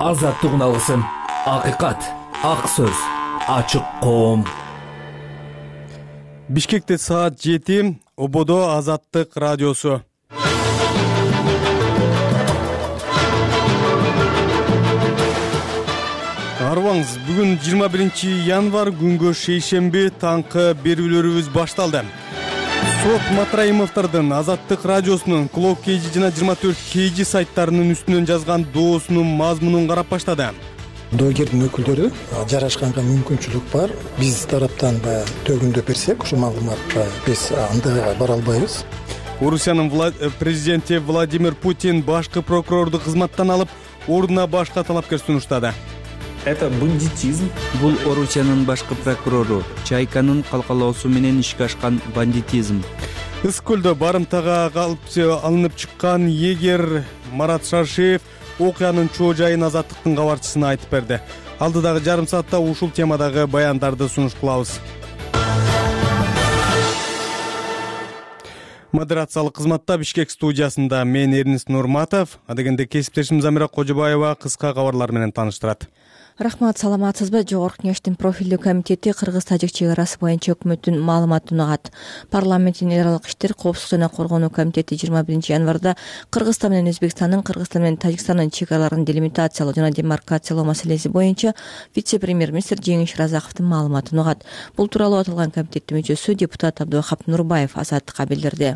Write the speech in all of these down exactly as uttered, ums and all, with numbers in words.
азаттыгын алгысың. Акыйкат, ак сөз, ачык коом. Бишкекте саат жети, Ободо Азаттык радиосу. Арбаңыз, бүгүн жыйырма биринчи январь, күнгө шейшемби, таңкы берүүлөрүбүз башталды. Сот Матраимовдордун Азаттык радиосунун Клок Кейжи жана жыйырма төрт Кейжи сайттарынын үстүнөн жазган доосунун мазмунун карап баштады. Доогердин өкүлдөрү жарашканга мүмкүнчүлүк бар. Биз тараптан да төгүндөп берсек, ушул маалыматка биз андайга бара албайбыз. Орусиянын президенти Владимир Путин башкы прокурорду кызматтан алып, ордуна башка талапкер сунуштады. Это бандитизм. Бул Орусиянын башкы прокурору Чайканын калкалоосу менен ишке ашкан бандитизм. Ысык көлдө барымтага алынып чыккан эгер Марат Шаршеев окуянын чоо жайын Азаттыктын кабарчысына айтып берди. Алдыдагы жарым саатта ушул темадагы баяндарды сунуш кылабыз. Модерациялык кызматта Бишкек студиясында мен Эрнис Нурматов, адегенде кесиптешим Замира Кожобаева кыска кабарлар менен тааныштырат. Рахмат, саламатсызбы? Жогорку Кеңештин профилдүү комитети Кыргыз-Тажик чек арасы боюнча өкмөттүн маалыматын угат. Парламенттин эл аралык иштер, коопсуздук жана коргонуу комитети жыйырма биринчи январда Кыргызстан менен Өзбекстандын, Кыргызстан менен Тажикстандын чек араларын делимитациялоо жана демаркациялоо маселеси боюнча вице-премьер-министр Жеңиш Разаковдун маалыматын угат. Бул тууралуу аталган комитеттин мүчөсү депутат Абдывахап Нурбаев Азаттыкка билдирди.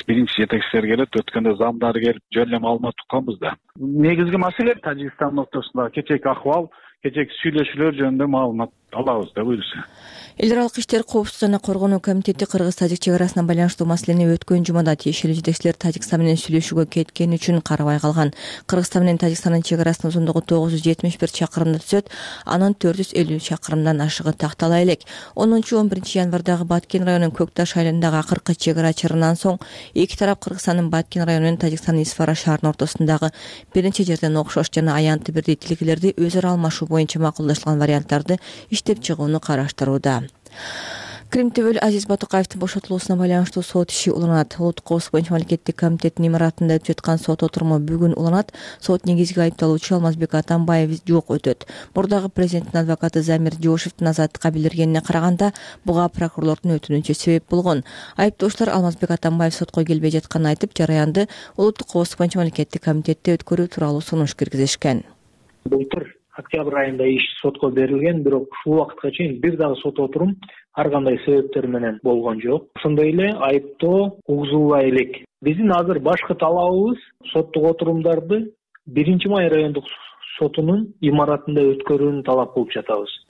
Биринчи жетекчилер келет, өткөндө замдар келип, жөн эле маалымат укканбыз да. Негизги маселе Тажикстан ортосунда кечээки акыбал, кечээки сүйлөшүүлөр жөнүндө маалымат алабыз да буюрса. Эл аралык иштер, коопсуздук жана коргонуу комитети Кыргыз-Тажик чек арасына байланыштуу маселени өткөн жумада тиешелүү жетекчилер Тажикстан менен сүйлөшүүгө кеткени үчүн карабай калган. Кыргызстан менен Тажикстандын чек арасынын узундугу тогуз жүз жетимиш бир чакырымды түзөт, анын төрт жүз элүү чакырымдан ашыгы тактала элек. онунчу он биринчи январдагы Баткен районунун Көкташ айылындагы акыркы чек ара чырынан соң эки тарап Кыргызстандын Баткен району менен Тажикстандын Исфара шаарынын ортосундагы бир нече жерден окшош жана аянты бирдей тилкелерди өз ара алмашуу боюнча макулдашылган варианттарды иштеп чыгууну караштырууда. Крим Төбөл Азиз Батукаевдин бошотулуусуна байланыштуу сот иши уланат. Улуттук коопсуздук боюнча мамлекеттик комитеттин имаратында өтүп жаткан сот отуруму бүгүн уланат. Сот негизги айыпталуучу Алмазбек Атамбаев жок өтөт. Мурдагы президенттин адвокаты Замир Жошевдин Азаттыкка билдиргенине караганда, буга прокурорлордун өтүнүчү себеп болгон. Айыптоочулар Алмазбек Атамбаев сотко келбей жатканын айтып, жараянды Улуттук коопсуздук боюнча мамлекеттик комитетте өткөрүү тууралуу сунуш киргизишкен. Былтыр октябрь айында иш сотко берилген, бирок ушул убакытка чейин бир дагы сот отурум ар кандай себептер менен болгон жок. Ошондой эле айыптоо угузулбай элек. Биздин азыр башкы талабыбыз соттук отурумдарды биринчи май райондук сотунун имаратында өткөрүүнү талап кылып жатабыз.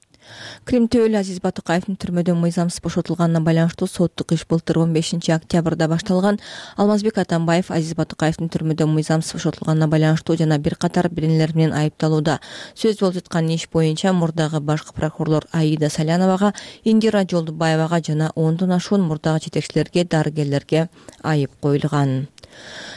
Крим Төбөл Азиз Батукаевдин түрмөдөн мыйзамсыз бошотулганына байланыштуу соттук иш былтыр он бешинчи октябрда башталган. Алмазбек Атамбаев Азиз Батукаевдин түрмөдөн мыйзамсыз бошотулганына байланыштуу жана бир катар биренелер менен айыпталууда. Сөз болуп жаткан иш боюнча мурдагы башкы прокурорлор Аида Саляновага, Индира Жолдубаевага жана ондон ашуун мурдагы жетекчилерге, дарыгерлерге айып коюлган.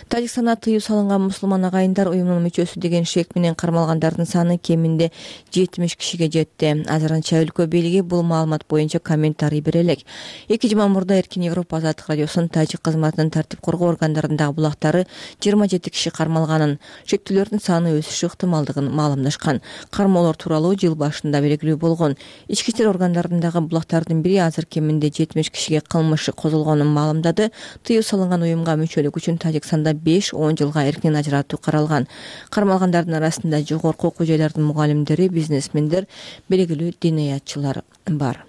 Тажикстанда тыюу салынган мусулман агайындар уюмунун мүчөсү деген шек менен кармалгандардын саны кеминде жетимиш кишиге жетти. Азырынча өлкө бийлиги бул маалымат боюнча комментарий бере элек. Эки жума мурда Эркин Европа Азаттык радиосунун тажик кызматынын тартип коргоо органдарындагы булактары жыйырма жети киши кармалганын, шектүүлөрдүн саны өсүшү ыктымалдыгын маалымдашкан. Кармоолор тууралуу жыл башында белгилүү болгон. Ички иштер органдарындагы булактардын бири азыр кеминде жетимиш кишиге кылмыш козголгонун маалымдады. Тыюу салынган уюмга мүчөлүк үчүн Тажикстанда беш он жылга эркин ажыратуу каралган. Кармалгандардын арасында жогорку окуу жайлардын мугалимдери, бизнесмендер, белгилүү диниятчылар бар.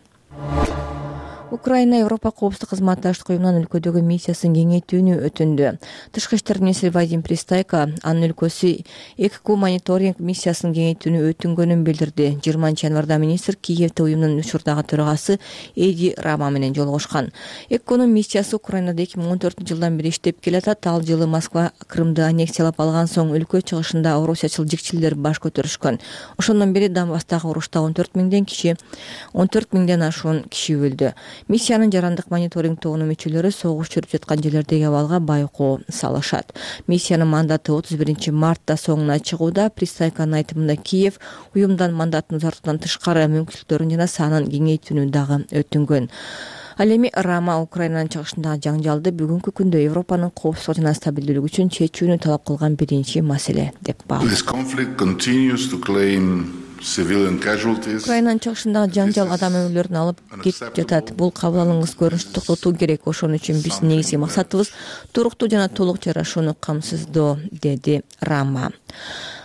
Украина Европа коопсуздук кызматташтык уюмунун өлкөдөгү миссиясын кеңейтүүнү өтүндү. Тышкы иштер министри Вадим Пристайко анын өлкөсү ЭККУ мониторинг миссиясын кеңейтүүнү өтүнгөнүн билдирди. жыйырманчы январда министр Киевде уюмдун учурдагы төрагасы Эди Рама менен жолугушкан. ЭККУнун миссиясы Украинада эки миң он төртүнчү жылдан бери иштеп келатат. Ал жылы Москва Крымды аннексиялап алган соң өлкө чыгышында орусячыл жикчилер баш көтөрүшкөн. Ошондон бери Донбасстагы урушта он төрт миңден киши, он төрт миңден ашуун киши өлдү. Миссиянын жарандык мониторинг тобунун мүчөлөрү согуш жүрүп жаткан жерлердеги абалга байкоо салышат. Миссиянын мандаты отуз биринчи мартта соңуна чыгууда. Пристайканын айтымында Киев уюмдан мандатын узартуудан тышкары мүмкүнчүлүктөрүн жана санын кеңейтүүнү дагы өтүнгөн. Ал эми Рама Украинанын чыгышындагы жаңжалды бүгүнкү күндө Европанын коопсуздугу жана стабилдүүлүгү үчүн чечүүнү талап кылган биринчи маселе деп баалады. Украинанын чыгышындагы жаңжал адам өмүрлөрүн алып кетип жатат. Бул кабыл алынгыс көрүнүштү токтотуу керек. Ошон үчүн биздин негизги максатыбыз туруктуу жана толук жарашууну камсыздоо, деди Рама.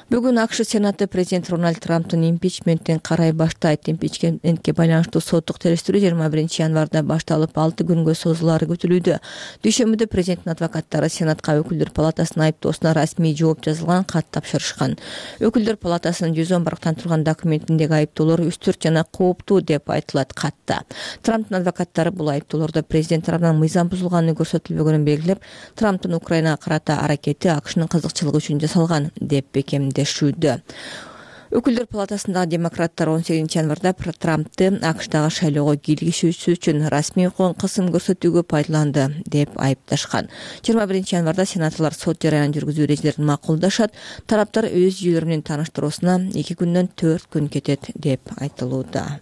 Бүгүн АКШ Сенаты президент Дональд Трамптын импичменттин карай баштайт. Импичментке байланыштуу соттук териштирүү жыйырма биринчи январда башталып алты күнгө созулаары күтүлүүдө. Дүйшөмбүдө президенттин адвокаттары Сенатка Өкүлдөр палатасынын айыптоосуна расмий жооп жазылган кат тапшырышкан. Өкүлдөр палатасынын жүз он барктан турган документиндеги айыптоолор үстүрт жана кооптуу деп айтылат катта. Трамптын адвокаттары бул айыптоолордо президент тарабынан мыйзам бузулганы көрсөтүлбөгөнүн белгилеп, Трамптын Украинага карата аракети АКШнын кызыкчылыгы үчүн жасалган деп бекем Өкүлдөр палатасындагы демократтар он сегизинчи январда Трампты АКШдагы шайлоого киргизүүсү үчүн расмий кысым көрсөтүүгө пайдаланды деп айыпташкан. жыйырма биринчи январда сенаторлор сот жараянын жүргүзүү эрежелерин макулдашат. Тараптар өз жүйөлөрү менен тааныштыруусуна эки күндөн төрт күн кетет деп айтылууда.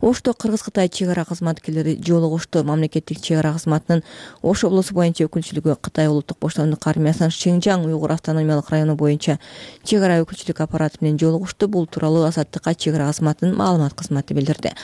Ошто Кыргыз-Кытай чек ара кызматкерлери жолугушту. Мамлекеттик чек ара кызматынын Ош облусу боюнча өкүлчүлүгү Кытай улуттук боштондук армиясынын Шинжаң уйгур автономиялык району боюнча чек ара өкүлчүлүк аппараты менен жолугушту. Бул тууралуу Азаттыкка чек ара кызматынын маалымат кызматы билдирди.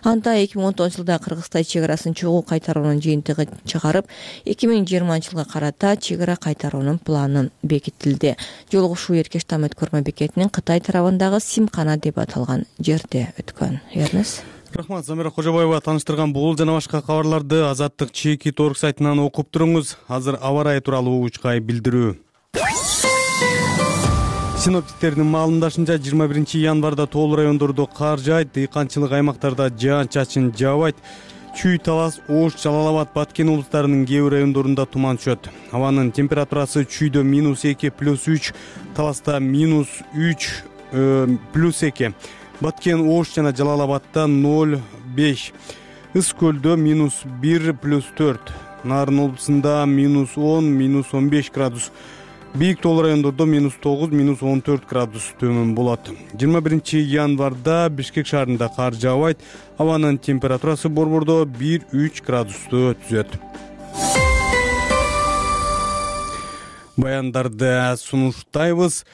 Анда эки миң он тогузунчу жылда Кыргыз-Кытай чек арасын чогуу кайтаруунун жыйынтыгы чыгарып, эки миң жыйырманчы жылга карата чек ара кайтаруунун планы бекитилди. Жолугушуу Эркеш Там өткөрмө бекетинин Кытай тарабындагы Симкана деп аталган жерде өткөн. Эрнес Рахмат, Замира Кожобаева таныштырган бул жана башка кабарларды Азаттык чекит орг сайтынан окуп туруңуз. Азыр аба ырайы тууралуу учкай билдирүү. Синоптиктердин маалымдашынча жыйырма биринчи январда тоол райондордо кар жаайт, дыйканчылык аймактарда жаан-чачын жаабайт. Чүй, Талас, Ош, Жалал-Абад, Баткен облустарынын кээ бир райондорунда туман түшөт. Абанын температурасы Чүйдө минус эки плюс үч, Таласта минус үч плюс эки. Баткен, Ош жана Жалал-Абадта ноль беш. Ыс көлдө минус бир плюс төрт. Нарын облусунда минус он, минус он беш градус. Бийик тоол райондордо минус тогуз, минус он төрт градус төмөн болот. жыйырма биринчи январда Бишкек шаарында кар жаабайт. Абанын температурасы борбордо бир үч градусту түзөт. Баяндарды сунуштайбыз.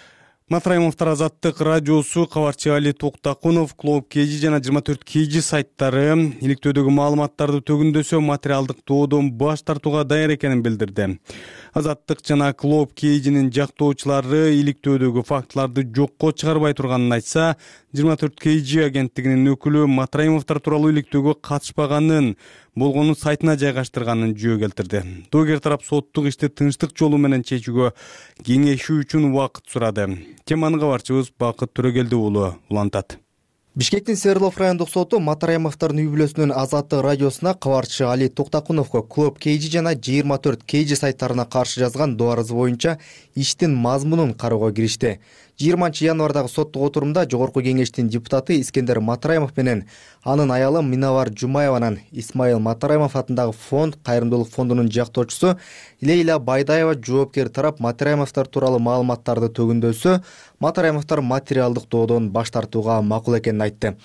Матраимовдор Азаттык радиосу, кабарчы Али Токтакунов, Клоук Кежи жана жыйырма төрт Кежи сайттары иликтөөдөгү маалыматтарды төгүндөсө материалдык доодон баш тартууга даяр экенин билдирди. Азаттык жана Клоук Кежинин жактоочулары иликтөөдөгү фактыларды жокко чыгарбай турганын айтса, жыйырма төрт Кежи агенттигинин өкүлү Матраимовдор тууралуу иликтөөгө катышпаганын, болгону сайтына жайгаштырганын жөө келтирди. Доогер тарап соттук ишти тынчтык жолу менен чечүүгө кеңешүү үчүн убакыт сурады. Теманы кабарчыбыз Бакыт Төрөгелди уулу улантат. Бишкектин Свердлов райондук соту Матраимовдордун үй бүлөсүнүн Азаттык радиосуна кабарчы Али Токтакуновго Клоук Кежи жана жыйырма төрт Кежи сайттарына каршы жазган доо арызы боюнча иштин мазмунун кароого киришти. жыйырманчы январдагы соттук отурумда Жогорку кеңештин депутаты Искендер Матраимов менен анын аялы Минавар Жумаеванын Исмаил Матраимов атындагы фонд кайрымдуулук фондунун жактоочусу Лейла Байдаева жоопкер тарап Матраимовдор тууралуу маалыматтарды төгүндөсө, Матраимовдор материалдык доодон баш тартууга макул экенин айтты.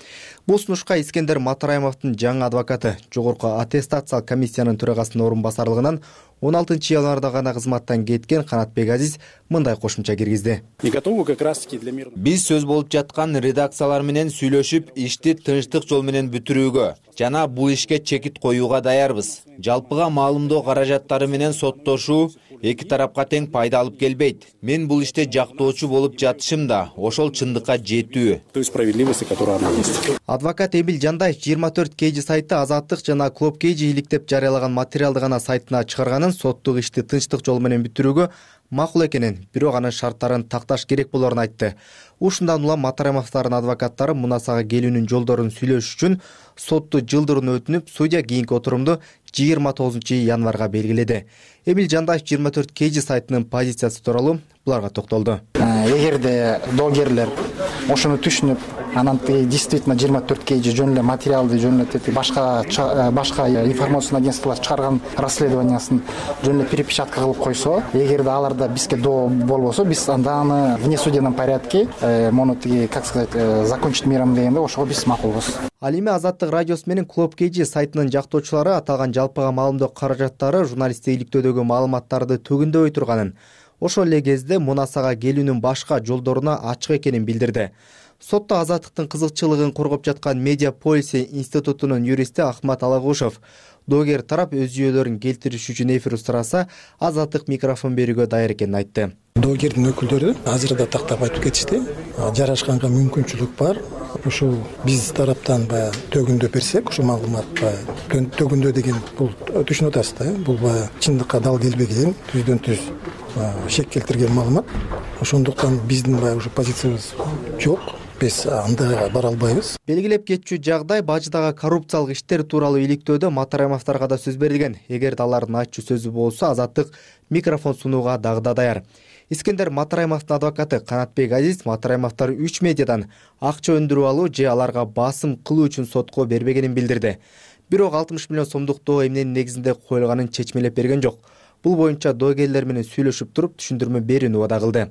Бул сунушка Искендер Матраимовдун жаңы адвокаты Жогорку аттестациялык комиссиянын төрагасынын орун басарлыгынан он алтынчы январда гана кызматтан кеткен Канатбек Азиз мындай кошумча киргизди. Биз сөз болуп жаткан редакциялар менен сүйлөшүп, ишти тынчтык жол менен бүтүрүүгө жана бул ишке чекит коюуга даярбыз. Жалпыга маалымдоо каражаттары менен соттошуу эки тарапка тең пайда алып келбейт. Мен бул иште жактоочу болуп жатышым да ошол чындыкка жетүү. Адвокат Эмил Жандай жыйырма төрт Кежи сайты Азаттык жана Клоук Кежи иликтеп жарыялаган материалды гана сайтына чыгарганын, соттук ишти тынчтык жол менен бүтүрүүгө макул экенин, бирок анын шарттарын такташ керек болорун айтты. Ушундан улам Матраимовдордун адвокаттары мунасага келүүнүн жолдорун сүйлөш үчүн сотту жылдырууну өтүнүп, судья кийинки отурумду жыйырма тогузунчу январга белгиледи. Эмил Жандай жыйырма төрт Кежи сайтынын позициясы тууралуу буларга токтолду. Эгерде доогерлер ошону түшүнүп, анан тиги действительно жыйырма төрт kg жөн эле материалды жөн эле башка башка информационный агентстволор чыгарган расследованиясын жөн эле перепечатка кылып койсо, эгерде аларда бизге доо болбосо, биз анда аны в несудебном порядке мону тиги, как сказать, закончить миром дегенде ошого биз макулбуз. Ал эми Азаттык радиосу менен Club кей джи сайтынын жактоочулары аталган жалпыга маалымдоо каражаттары журналисттик иликтөөдөгү маалыматтарды төгүндөбөй турганын, ошол эле кезде Мунасага келүүнүн башка жолдоруна ачык экенин билдирди. Сотто Азаттыктын кызыкчылыгын коргоп жаткан Медиа Policy институтунун юристи Ахмат Алагушев доогер тарап өз жүйөлөрүн келтириш үчүн эфир сураса, Азаттык микрофон берүүгө даяр экенин айтты. Доогердин өкүлдөрү азыр да тактап айтып кетишти. Жарашканга мүмкүнчүлүк бар. Ушул биз тараптан баягы төгүндөп берсек, ушул маалымат баягы төгүндөө деген бул түшүнүп атасыз да, бул баягы чындыкка дал келбеген, түздөн түз шек келтирген маалымат. Ошондуктан биздин баягы ушу позициябыз жок. Биз андайга бара албайбыз. Белгилеп кетчү жагдай баждагы коррупциялык иштер тууралуу иликтөөдө Матарамовторго да сөз берилген. Эгерде алардын ачуу сөзү болсо, Азаттык микрофон сунууга дагы да даяр. Искендер Матарамовдун адвокаты Канатбек Азиз Матарамовтор үч медиадан акча өндүрүп алуу же аларга басым кылуу үчүн сотко бербегенин билдирди. Бирок алтымыш миллион сомдук доо эмненин негизинде коюлганын чечмелеп берген жок. Бул боюнча доогерлер менен сүйлөшүп туруп түшүндүрмө берүүнү убада кылды.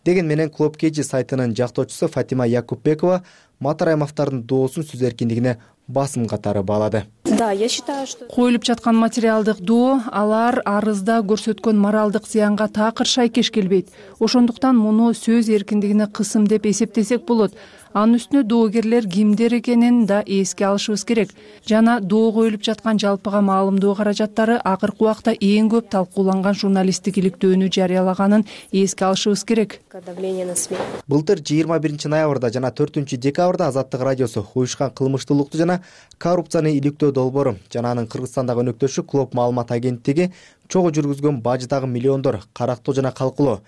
Деген менен Club кей джи сайтынын жактоочусу Фатима Якупбекова Матарамовтордун доосун сөз эркиндигине басым катары баалады. Да, я считаю, что коюлуп жаткан материалдык доо алар арызда көрсөткөн моралдык зыянга такыр шайкеш келбейт. Ошондуктан муну сөз эркиндигине кысым деп эсептесек болот. Анын үстүнө доогерлер кимдер экенин да эске алышыбыз керек. Жана доо коюлуп жаткан жалпыга маалымдоо каражаттары акыркы убакта эң көп талкууланган журналисттик иликтөөнү жарыялаганын эске алышыбыз керек. Былтыр жыйырма биринчи ноябрда жана төртүнчү декабрда Азаттык радиосу уюшкан кылмыштуулукту жана коррупцияны иликтөө долбоору жана анын Кыргызстандагы өнөктөшү Клоп маалымат агенттиги чогуу жүргүзгөн баждагы миллиондор карактоо жана калкулоо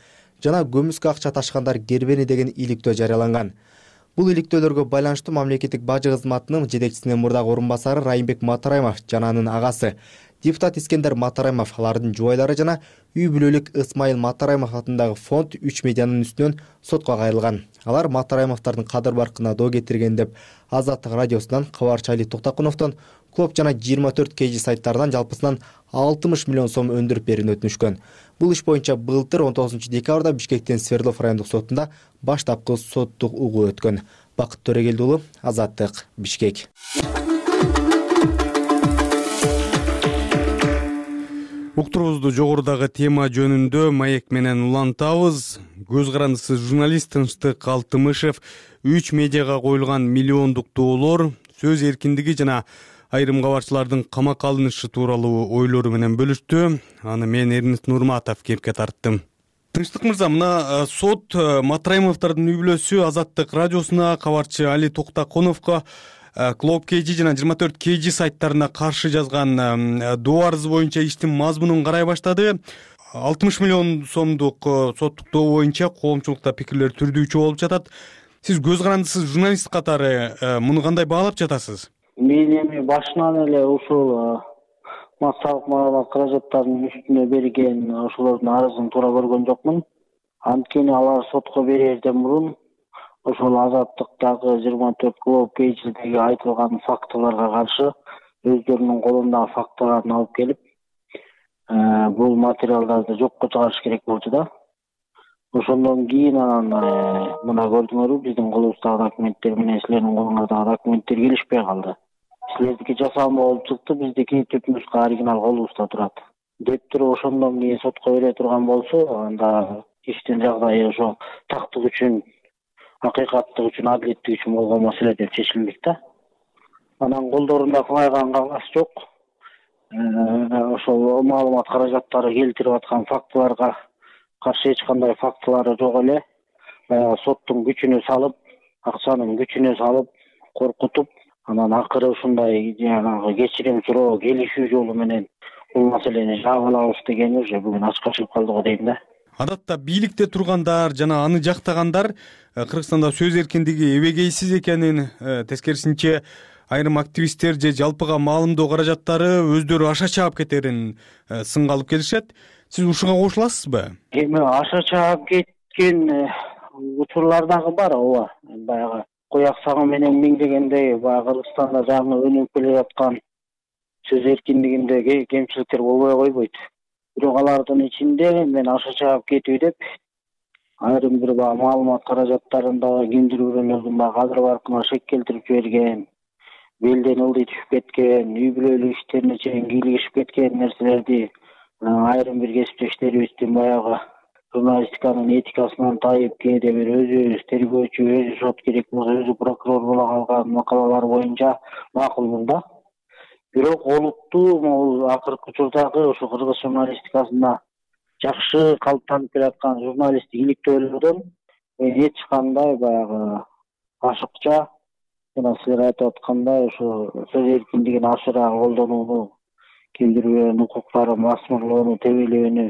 жана көмүскө акча ташкандар кербени деген иликтөө жарыяланган. Бул иликтөөлөргө байланыштуу мамлекеттик бажы кызматынын жетекчисинин мурдагы орун басары Райымбек Матараимов жана анын агасы депутат Искендер Матараимов, алардын жубайлары жана үй бүлөлүк Ысмайыл Матараимов атындагы фонд үч медианын үстүнөн сотко кайрылган. Алар Матараимовтордун кадыр баркына доо кетирген деп Азаттык радиосунан кабарчы Али Токтакуновдон Клоп жана жыйырма төрт kg сайттарынан жалпысынан алтымыш миллион сом өндүрүп берүүнү өтүнүшкөн. Бул иш боюнча былтыр он тогузунчу декабрда Бишкектин Свердлов райондук сотунда баштапкы соттук угуу өткөн. Бакыт Төрөгелди уулу, Азаттык, Бишкек. Уктурубузду жогорудагы тема жөнүндө маек менен улантабыз. Көз карандысыз журналист Тынчтык Алтымышев үч медиага коюлган миллиондук доолор, сөз эркиндиги жана айрым кабарчылардын камакка алынышы тууралуу ойлору менен бөлүштү. Аны мен Эрнест Нурматов кепке тарттым. Тынчтык мырза, мына сот Матараимовтордун үй бүлөсү Азаттык радиосуна, кабарчы Али Токтакуновго Club кей джи жана жыйырма төрт kg сайттарына каршы жазган доо арызы боюнча иштин мазмунун карай баштады. алтымыш миллион сомдук соттук доо боюнча коомчулукта пикирлер түрдүүчү болуп жатат. Сиз көз карандысыз журналист катары муну кандай баалап жатасыз? Мен эми башынан эле ушул массалык маалымат каражаттарынын үстүнө берген ошолордун арызын туура көргөн жокмун. Анткени алар сотко берерден мурун ошол Азаттыктагы жыйырма төрт Club кей джидеги айтылган фактыларга каршы өздөрүнүн колундагы фактыларын алып келип, бул материалдарды жокко чыгарыш керек болчу да. Ошондон кийин анан мына көрдүңөрбү, биздин колубуздагы документтер менен силердин колуңуздагы документтер келишпей калды. Силердики жасалма болуп чыкты, биздики түп нуска оригинал колубузда турат деп туруп, ошондон кийин сотко бере турган болсо, анда иштин жагдайы ошо тактык үчүн, акыйкаттык үчүн, адилеттик үчүн болгон маселе деп чечилмек да. Анан колдорунда кылайган кагаз жок. Ошол маалымат каражаттары келтирип аткан фактыларга каршы эч кандай фактылары жок эле. Баягы соттун күчүнө салып, акчанын күчүнө салып, коркутуп, анан акыры ушундай жанагы кечирим суроо, келишүү жолу менен бул маселени жаап алабыз дегени уже бүгүн ачыкка чыгып калды го дейм да. Адатта бийликте тургандар жана аны жактагандар Кыргызстанда сөз эркиндиги эбегейсиз экенин, тескерисинче айрым активисттер же жалпыга маалымдоо каражаттары өздөрү аша чаап кетерин сынга алып келишет. Сиз ушуга кошуласызбы? Эми аша чаап кеткен учурлар дагы бар, ооба. Баягы кояк сагы менен миңдегендей баягы Кыргызстанда жаңы өнүгүп келе жаткан сөз эркиндигинде кемчиликтер болбой койбойт. Бирок алардын ичинде мен аша чаап кетүү деп айрым бир баягы маалымат каражаттарындагы кимдир бирөөлөрдүн баягы кадыр баркына шек келтирип жиберген, белден ылдый түшүп кеткен, үй бүлөлүк иштерине чейин кийлигишип кеткен нерселерди айрым бир кесиптештерибиздин баягы журналистиканын этикасынан тайып, кээде бир өзү тергөөчү, өзү сот керек болсо өзү прокурор боло калган макалалар боюнча макулмун да. Бирок олуттуу могул акыркы учурдагы ошо кыргыз журналистикасында жакшы калыптанып келаткан журналисттик иликтөөлөрдөн эч кандай баягы ашыкча жана силер айтып аткандай ошо сөз эркиндигин ашыра колдонууну, кимдир бирөөнүн укуктарын басмырлоону, тебелөөнү,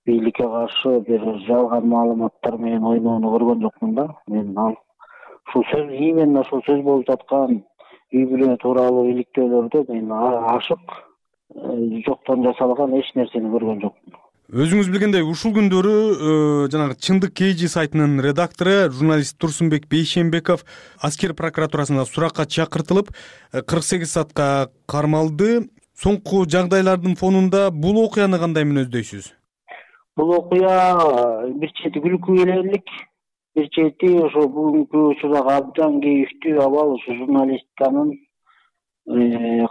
бийликке каршы бир жалган маалыматтар менен ойноону көргөн жокмун да. Мен ал ушул сөз именно ушул сөз болуп жаткан үй бүлө тууралуу иликтөөлөрдө мен ашык жоктон жасалган эч нерсени көргөн жокмун. Өзүңүз билгендей, ушул күндөрү жанагы Чындык Кей Жи сайтынын редактору журналист Турсунбек Бейшенбеков аскер прокуратурасына суракка чакыртылып, кырк сегиз саатка кармалды. Соңку жагдайлардын фонунда бул окуяны кандай мүнөздөйсүз? Бул окуя бир чети күлкү келерлик, бир чети ошо бүгүнкү учурдагы абдан кейиштүү абал ушу журналистиканын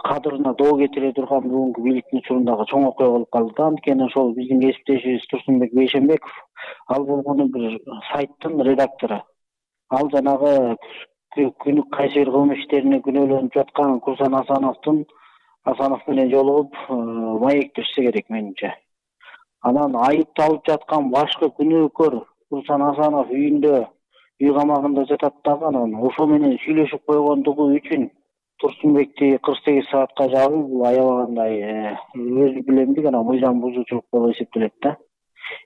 кадырына доо кетире турган бүгүнкү бийликтин учурундагы чоң окуя болуп калды. Анткени ошол биздин кесиптешибиз Турсунбек Бейшенбеков ал болгону бир сайттын редактору. Ал жанагы күнү кайсы бир кылмыш иштерине күнөөлөнүп жаткан Курсан Асановдун Асанов менен жолугуп маектешсе керек менимче. Анан айыпталып жаткан башкы күнөөкөр Курсан Асанов үйүндө, үй камагында жатат дагы, анан ошо менен сүйлөшүп койгондугу үчүн Турсунбекти кырк сегиз саатка жабуу бул аябагандай өзү билемдик анан мыйзам бузуучулук болуп эсептелет да.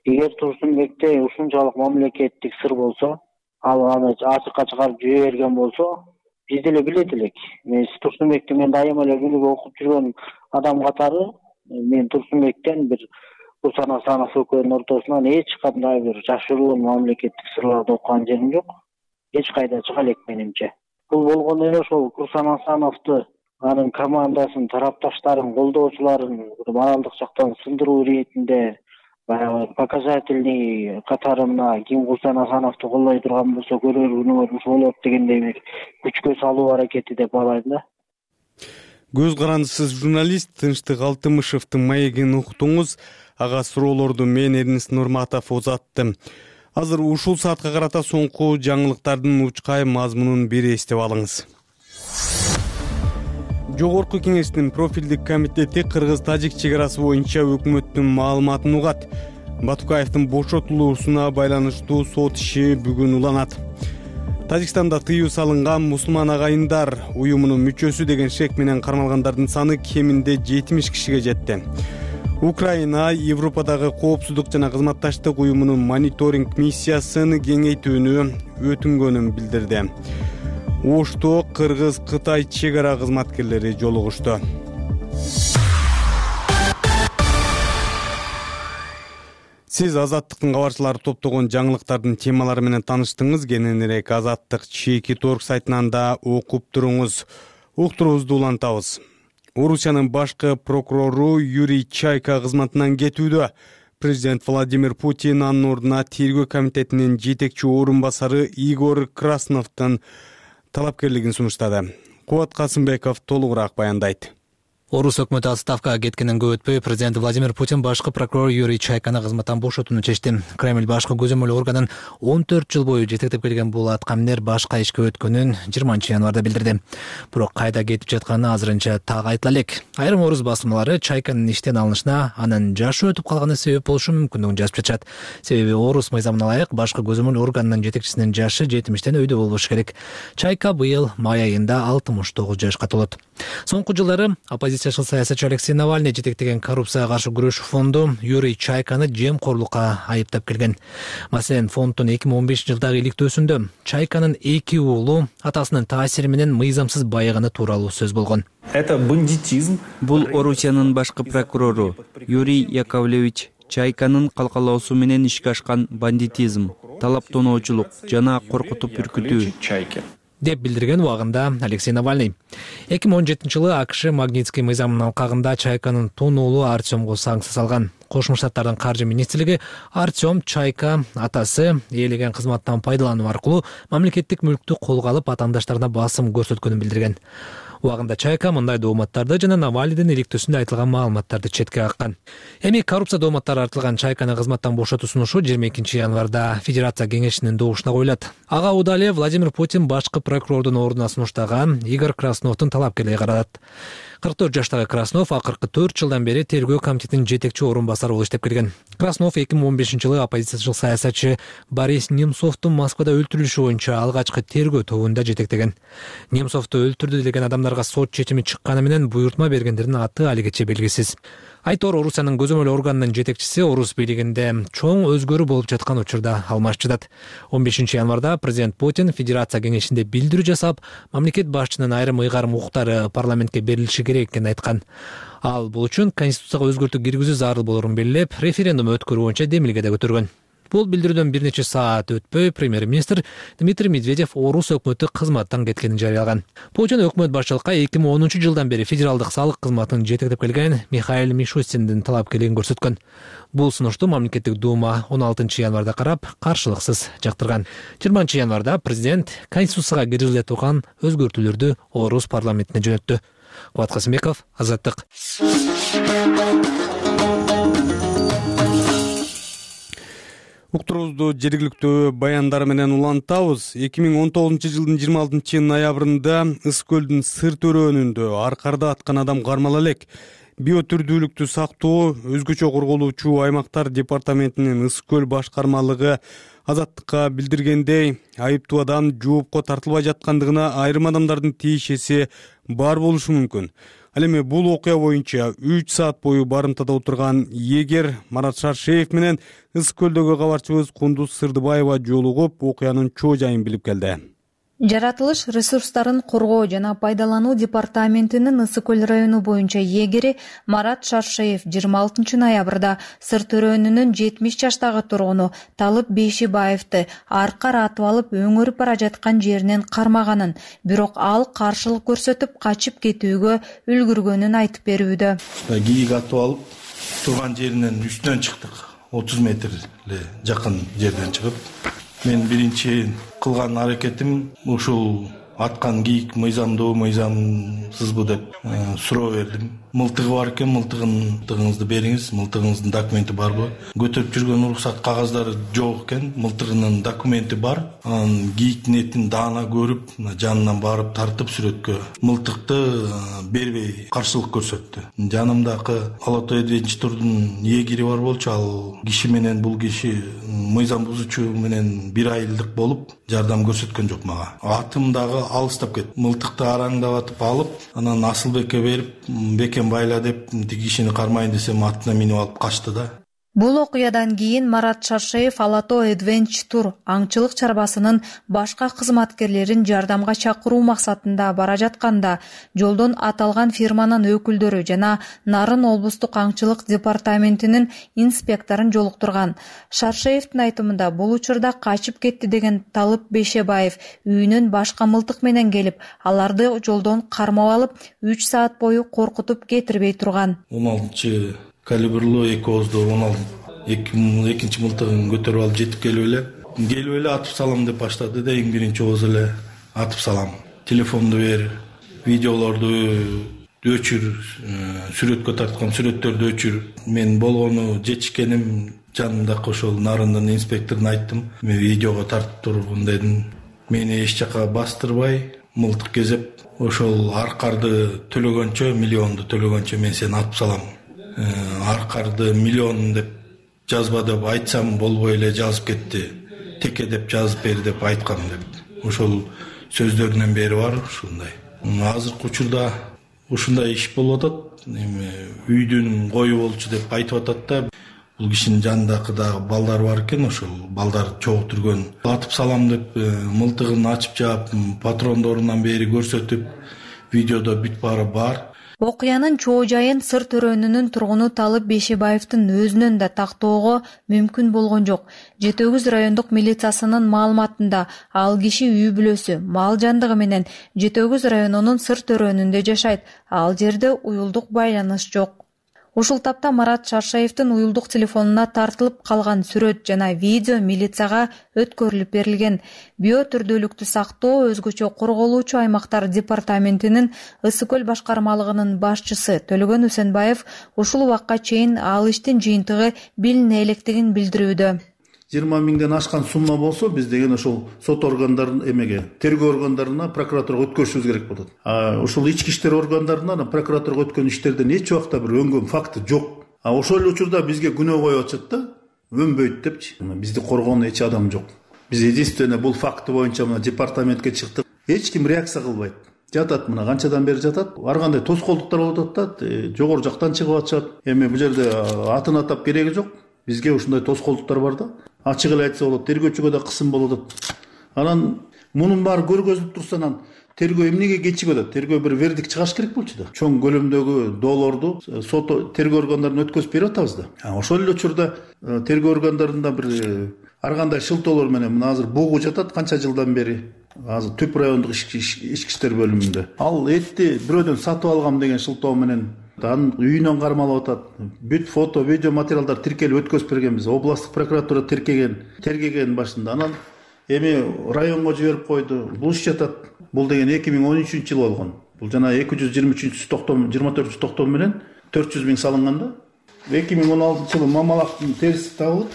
Эгер Турсунбекте ушунчалык мамлекеттик сыр болсо, ал аны ачыкка чыгарып жибере берген болсо, биз деле билет элек. Мен Турсунбекти мен дайыма эле күнүгө окуп жүргөн адам катары мен Турсунбектен бир Курсан Асанов экөөнүн ортосунан эч кандай бир жашыруун мамлекеттик сырларды окуган жерим жок. Эч кайда чыга элек менимче. Бул болгону эле ошол Курсан Асановду, анын командасын, тарапташтарын, колдоочуларын моралдык жактан сындыруу иретинде баягы показательный катарына ким Курсан Асановду колдой турган болсо көрөр күнүңөр ушул болот дегендей бир күчкө салуу аракети деп балайм да. Көз карандысыз журналист Тынчтык Алтымышевдин маегин уктуңуз. Ага суроолорду мен Эрнест Нурматов узаттым. Азыр ушул саатка карата соңку жаңылыктардын учкай мазмунун бир эстеп алыңыз. Жогорку кеңештин профилдик комитети Кыргыз-Тажик чек арасы боюнча өкмөттүн маалыматын угат. Батукаевдин бошотулуусуна байланыштуу сот иши бүгүн уланат. Тажикстанда тыюу салынган мусулман агайындар уюмунун мүчөсү деген шек менен кармалгандардын саны кеминде жетимиш кишиге жетти. Украина Европадагы коопсуздук жана кызматташтык уюмунун мониторинг миссиясын кеңейтүүнү өтүнгөнүн билдирди. Ошто Кыргыз-Кытай чек ара кызматкерлери жолугушту. Сиз Азаттыктын кабарчылары топтогон жаңылыктардын темалары менен тааныштыңыз. Кененирээк Азаттык чеки торг сайтынан да окуп туруңуз. Уктуруубузду улантабыз. Орусиянын башкы прокурору Юрий Чайка кызматынан кетүүдө. Президент Владимир Путин анын ордуна тергөө комитетинин жетекчи орун басары Игорь Красновдун талапкерлигин сунуштады. Кубат Касымбеков толугураак баяндайт. Орус өкмөтү отставкага кеткенден көп өтпөй президент Владимир Путин башкы прокурор Юрий Чайканы кызматтан бошотууну чечти. Кремль башкы көзөмөл органын он төрт жыл бою жетектеп келген бул аткаминер башка ишке өткөнүн жыйырманчы январда билдирди. Бирок кайда кетип жатканы азырынча так айтыла элек. Айрым орус басмалары Чайканын иштен алынышына анын жашы өтүп калганы себеп болушу мүмкүндүгүн жазып жатышат. Себеби орус мыйзамына ылайык башкы көзөмөл органынын жетекчисинин жашы жетимиштен өйдө болбошу керек. Чайка быйыл май айында алтымыш тогуз жашка толот. Соңку жылдары оппозициячыл саясатчы Алексей Навальный жетектеген коррупцияга каршы күрөшүү фонду Юрий Чайканы жемкорлукка айыптап келген. Маселен, фонддун эки миң он бешинчи жылдагы иликтөөсүндө Чайканын эки уулу атасынын таасири менен мыйзамсыз байыганы тууралуу сөз болгон. Это бандитизм. Бул Орусиянын башкы прокурору Юрий Яковлевич Чайканын калкалоосу менен ишке ашкан бандитизм, талаптоноочулук жана коркутуп үркүтүү. деп билдирген убагында Алексей Навальный. эки миң он жетинчи жылы АКШ Магнитский мыйзамынын алкагында Чайканын тун уулу Артемго санкция салган. Кошмо Штаттардын каржы министрлиги Артем Чайка атасы ээлеген кызматтан пайдалануу аркылуу мамлекеттик мүлктү колго алып атаандаштарына басым көрсөткөнүн билдирген. Убагында Чайка мындай дооматтарды жана Навальныйдын иликтөөсүндө айтылган маалыматтарды четке каккан. Эми коррупция дооматтары артылган Чайканы кызматтан бошотуу сунушу жыйырма экинчи январда Федерация кеңешинин добушуна коюлат. Ага Удале Владимир Путин башкы прокурордун ордуна сунуштаган Игорь Красновдун талапкерлиги каралат. кырк төрт жаштагы Краснов акыркы төрт жылдан бери тергөө комитетинин жетекчи орун басары болуп иштеп келген. Краснов эки миң он бешинчи жылы оппозициячыл саясатчы Борис Немцовдун Москвада өлтүрүлүшү боюнча алгачкы тергөө тобунда жетектеген. Немцовду өлтүрдү деген адамдарга сот чечими чыкканы менен буйртма бергендердин аты алигече белгисиз. Айтор Орусиянын көзөмөл органынын жетекчиси Орус бийлигинде чоң өзгөрүү болуп жаткан учурда алмашчыдат. он бешинчи январда президент Путин Федерация кеңешинде билдирүү жасап, мамлекет башчынын айрым ыйгарым укуктары парламентке берилиши керек экенин айткан. Ал бул үчүн конституцияга өзгөртүү киргизүү зарыл болорун белгилеп, референдум өткөрүү боюнча демилге да көтөргөн. Бул билдирүүдөн бир нече саат өтпөй премьер-министр Дмитрий Медведев Орус өкмөтү кызматтан кеткенин жарыялаган. Путин өкмөт башчылыкка эки миң онунчу жылдан бери федералдык салык кызматын жетектеп келген Михаил Мишустиндин талапкерлигин көрсөткөн. Бул сунушту мамлекеттик дума он алтынчы январда карап, каршылыксыз жактырган. жыйырманчы январда президент конституцияга киргизиле турган өзгөртүүлөрдү Орус парламентине жөнөттү. Кубат Касымбеков, Азаттык. Уктуруубузду жергиликтүү баяндар менен улантабыз. эки миң он тогузунчу жылдын жыйырма алтынчы ноябрында Ыс көлдүн Сыр төрөөнүндө аркарда аткан адам кармала элек. Биотүрдүүлүктү сактоо өзгөчө корголуучу аймактар департаментинин Ыс көл башкармалыгы Азаттыкка билдиргендей, айыптуу адам жоопко тартылбай жаткандыгына айрым адамдардын тиешеси бар болушу мүмкүн. Ал эми бул окуя боюнча үч саат бою барымтада отурган эгер Марат Шаршеев менен Ыс көлдөгү кабарчыбыз Кундуз Сырдыбаева жолугуп, окуянын чоо жайын билип келди. Жаратылыш ресурстарын коргоо жана пайдалануу департаментинин Ысы көл району боюнча эгери Марат Шаршеев жыйырма алтынчы ноябрда Сыр төрөөнүнүн жетимиш жаштагы тургуну Талып Бейшибаевди аркар атып алып өңөрүп бара жаткан жеринен кармаганын, бирок ал каршылык көрсөтүп качып кетүүгө үлгүргөнүн айтып берүүдө. Кийик атып алып турган жеринен үстүнөн чыктык. отуз метр эле жакын жерден чыгып, мен биринчи кылган аракетим ушул аткан кийик мыйзамдуу, мыйзамсызбы деп суроо бердим. Мылтыгы бар экен, мылтыгыңызды бериңиз, мылтыгыңыздын документи барбы? Көтөрүп жүргөн уруксат кагаздары жок экен, мылтыгынын документи бар. Анан кийиктин этин даана көрүп, жанынан барып тартып сүрөткө мылтыкты бербей каршылык көрсөттү. Жанымдагы Ала Тоо Адвенчурдун эгери бар болчу, ал киши менен бул киши мыйзам бузуучу менен бир айылдык болуп жардам көрсөткөн жок мага. Атым дагы алыстап кетти. Мылтыкты араңдап атып алып, анан Асылбекке берип, бекен байла деп тиги кишини кармайын десем атына минип алып качты да. Бул окуядан кийин Марат Шаршеев Ала Тоо Adventure аңчылык чарбасынын башка кызматкерлерин жардамга чакыруу максатында бара жатканда жолдон аталган фирманын өкүлдөрү жана Нарын облустук аңчылык департаментинин инспекторун жолуктурган. Шаршеевдин айтымында бул учурда качып кетти деген Талып Бейшебаев үйүнөн башка мылтык менен келип, аларды жолдон кармап алып, үч саат бою коркутуп кетирбей турган. он алтынчы калибрлуу эки оозду он алты экинчи мылтыгын көтөрүп алып жетип келип эле келип эле атып салам деп баштады да, эң биринчи ооз эле атып салам. Телефонду бер, видеолорду өчүр, сүрөткө тарткан сүрөттөрдү өчүр. Мен болгону жетишкеним жанымдагы ошол Нарындын инспекторуна айттым. Мен видеого тартып тургун дедим. Мени эч жака бастырбай, мылтык кезеп, ошол аркарды төлөгөнчө, миллионду төлөгөнчө мен сени атып салам. Аркарды миллион деп жазба деп айтсам болбой эле жазып кетти. Теке деп жазып бер деп айткам деп. Ошол сөздөрүнөн бери бар ушундай. Азыркы учурда ушундай иш болуп атат. Эми үйдүн кою болчу деп айтып атат да. Бул кишинин жанындагы дагы балдар бар экен, ошол балдар чогултурган. Атып салам деп мылтыгын ачып жаап, патрондорунан бери көрсөтүп, видеодо бүт баары бар. Окуянын чоо жайын Сыр Төрөнүнүн тургуну Талып Бейшебаевдин өзүнөн да тактоого мүмкүн болгон жок. жети өгүз райондук милициясынын маалыматында ал киши үй бүлөсү, мал жандыгы менен жети өгүз районунун Сыр Төрөнүндө жашайт. Ал жерде уюлдук байланыш жок. Ушул тапта Марат Шаршаевдин уюлдук телефонуна тартылып калган сүрөт жана видео милицияга өткөрүлүп берилген. Био түрдүүлүктү сактоо өзгөчө корголуучу аймактар департаментинин Ысык көл башкармалыгынын башчысы Төлөгөн Үсенбаев ушул убакка чейин ал иштин жыйынтыгы билине электигин билдирүүдө. жыйырма миңден ашкан сумма болсо биз деген ошол сот органдарын эмеге, тергөө органдарына, прокуратурага өткөрүшүбүз керек болот. А ушул ички иштер органдарына, прокуратурага өткөн иштерден эч убакта бир өнгөн факты жок. А ошол эле учурда бизге күнөө коюп атышат да, өнбөйт депчи. Бизди коргоон эч адам жок. Биз единственное бул факты боюнча мына департаментке чыктык. Эч ким реакция кылбайт. Жатат мына канчадан бери жатат. Ар кандай тоскоолдуктар болуп атат да, жогору жактан чыгып атышат. Эми бул жерде атын атап кереги жок. Бизге ушундай тоскоолдуктар бар да. Ачык эле айтса болот, тергөөчүгө да кысым болуп атат. Анан мунун баары көргөзүлүп турса, анан тергөө эмнеге кечигип атат? Тергөө бир вердикт чыгаш керек болчу да. Чоң көлөмдөгү доолорду сот тергөө органдарына өткөзүп берип атабыз да. Ошол эле учурда тергөө органдарында бир ар кандай шылтоолор менен мына азыр бугу жатат канча жылдан бери. Азыр Түп райондук ички иштер бөлүмүндө. Ал этти бирөөдөн сатып алгам деген шылтоо менен анын үйүнөн кармалып атат. Бүт фото, видео материалдар тиркелип өткөзүп бергенбиз. Областтык прокуратура тиркеген, тергеген башында. Анан эми районго жиберип койду. Бул иш жатат. Бул деген эки миң он үчүнчү жылы болгон. Бул жана эки жүз жыйырма үчүнчү токтом, жыйырма төртүнчү токтом менен төрт жүз миң салынган да. эки миң он алтынчы жылы мамалактын терisi табылып,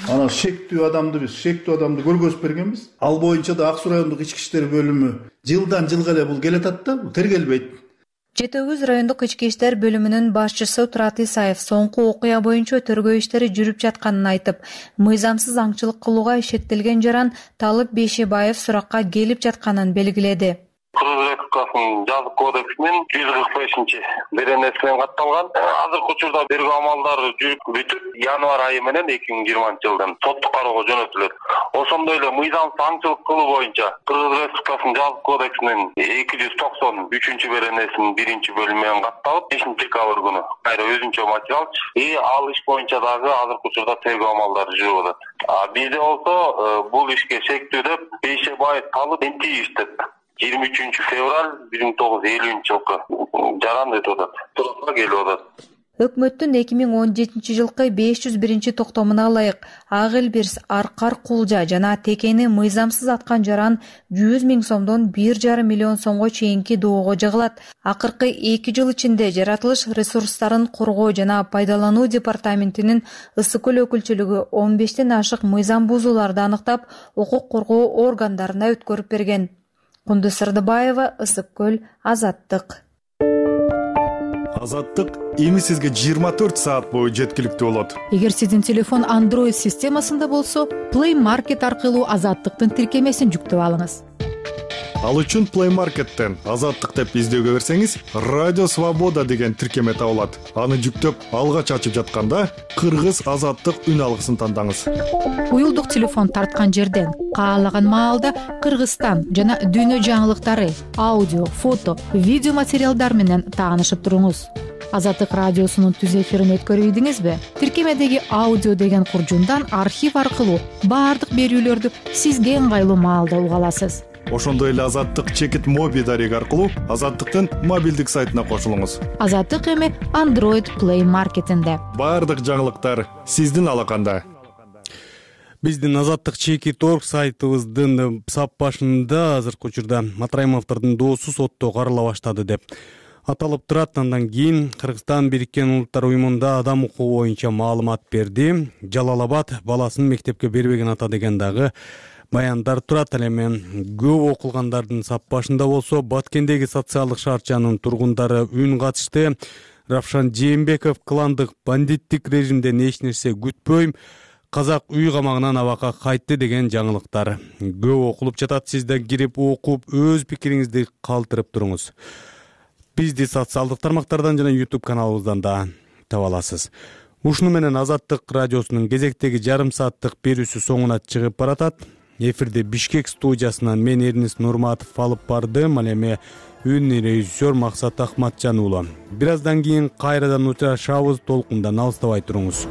анан шектүү адамды биз, шектүү адамды көргөзүп бергенбиз. Ал боюнча да Ак Суу райондук ички иштер бөлүмү жылдан жылга эле бул келатат да, тергелбейт. жети өгүз райондук ички иштер бөлүмүнүн башчысы Турат Исаев соңку окуя боюнча тергөө иштери жүрүп жатканын айтып, мыйзамсыз аңчылык кылууга шектелген жаран Талып Бейшебаев суракка келип жатканын белгиледи. Кыргыз Республикасынын жазык кодексинин жүз кырк бешинчи беренеси менен катталган. Азыркы учурда тергөө амалдары жүрүп бүтүп, январь айы менен эки миң жыйырманчы жылдан соттук кароого жөнөтүлөт. Ошондой эле мыйзамсыз аңчылык кылуу боюнча Кыргыз Республикасынын жазык кодексинин эки жүз токсон үчүнчү беренесинин биринчи бөлүмү менен катталып, бешинчи декабрь күнү кайра өзүнчө материал и ал иш боюнча дагы азыркы учурда тергөө амалдары жүрүп атат. А бизде болсо бул ишке шектүү деп Бейшебаев Талып иштеп жыйырма үчүнчү февраль бир миң тогуз жүз элүүнчү жылкы жаран өтүп атат. Суракка келип атат. Өкмөттүн эки миң он жетинчи жылкы беш жүз биринчи токтомуна ылайык Ак Элбирс, Аркар Кулжа жана Текени мыйзамсыз аткан жаран жүз миң сомдон бир жарым миллион сомго чейинки доого жыгылат. Акыркы эки жыл ичинде жаратылыш ресурстарын коргоо жана пайдалануу департаментинин Ысык көл өкүлчүлүгү он бештен ашык мыйзам бузууларды аныктап, укук коргоо органдарына өткөрүп берген. Кундуз Сырдыбаева, Ысык көл, Азаттык. Азаттык эми сизге жыйырма төрт саат бою жеткиликтүү болот. Эгер сиздин телефон Android системасында болсо, Play Market аркылуу Азаттыктын тиркемесин жүктөп алыңыз. Ал үчүн Play Market'тен Азаттык деп издөөгө берсеңиз, Радио Свобода деген тиркеме табылат. Аны жүктөп, алгач ачып жатканда Кыргыз Азаттык үн алгысын тандаңыз. Уюлдук телефон тарткан жерден каалаган маалда Кыргызстан жана дүйнө жаңылыктары, аудио, фото, видео материалдар менен таанышып туруңуз. Азаттык радиосунун түз эфирин өткөрүп ийдиңизби? Тиркемедеги аудио деген куржундан архив аркылуу баардык берүүлөрдү сизге ыңгайлуу маалда уга аласыз. Ошондой эле Азаттык чекит моби дареги аркылуу Азаттыктын мобилдик сайтына кошулуңуз. Азаттык эми Android Play Market'инде. Баардык жаңылыктар сиздин алаканда. Биздин Азаттык чекит орг сайтыбыздын сап башында азыркы учурда Матраимовдордун доосу сотто карала баштады деп аталып турат. Андан кийин Кыргызстан Бириккен Улуттар уюмунда адам укугу боюнча маалымат берди. Жалал-Абад баласын мектепке бербеген ата деген дагы баяндар турат. Ал эми көп окулгандардын сап башында болсо Баткендеги социалдык шаарчанын тургундары үн катышты. Равшан Жээнбеков кландык бандиттик режимден эч нерсе күтпөйм, казак үй камагынан абакка кайтты деген жаңылыктар көп окулуп жатат. Сиз да кирип окуп өз пикириңизди калтырып туруңуз. Бизди социалдык тармактардан жана YouTube каналыбыздан да таба аласыз. Ушуну менен Азаттык радиосунун кезектеги жарым сааттык берүүсү соңуна чыгып баратат. Эфирде Бишкек студиясынан мен Эрнис Нурматов алып бардым. Ал эми үн режиссер Максат Акматжан уулу. Бир аздан кийин кайрадан учурашабыз, толкундан алыстабай туруңуз.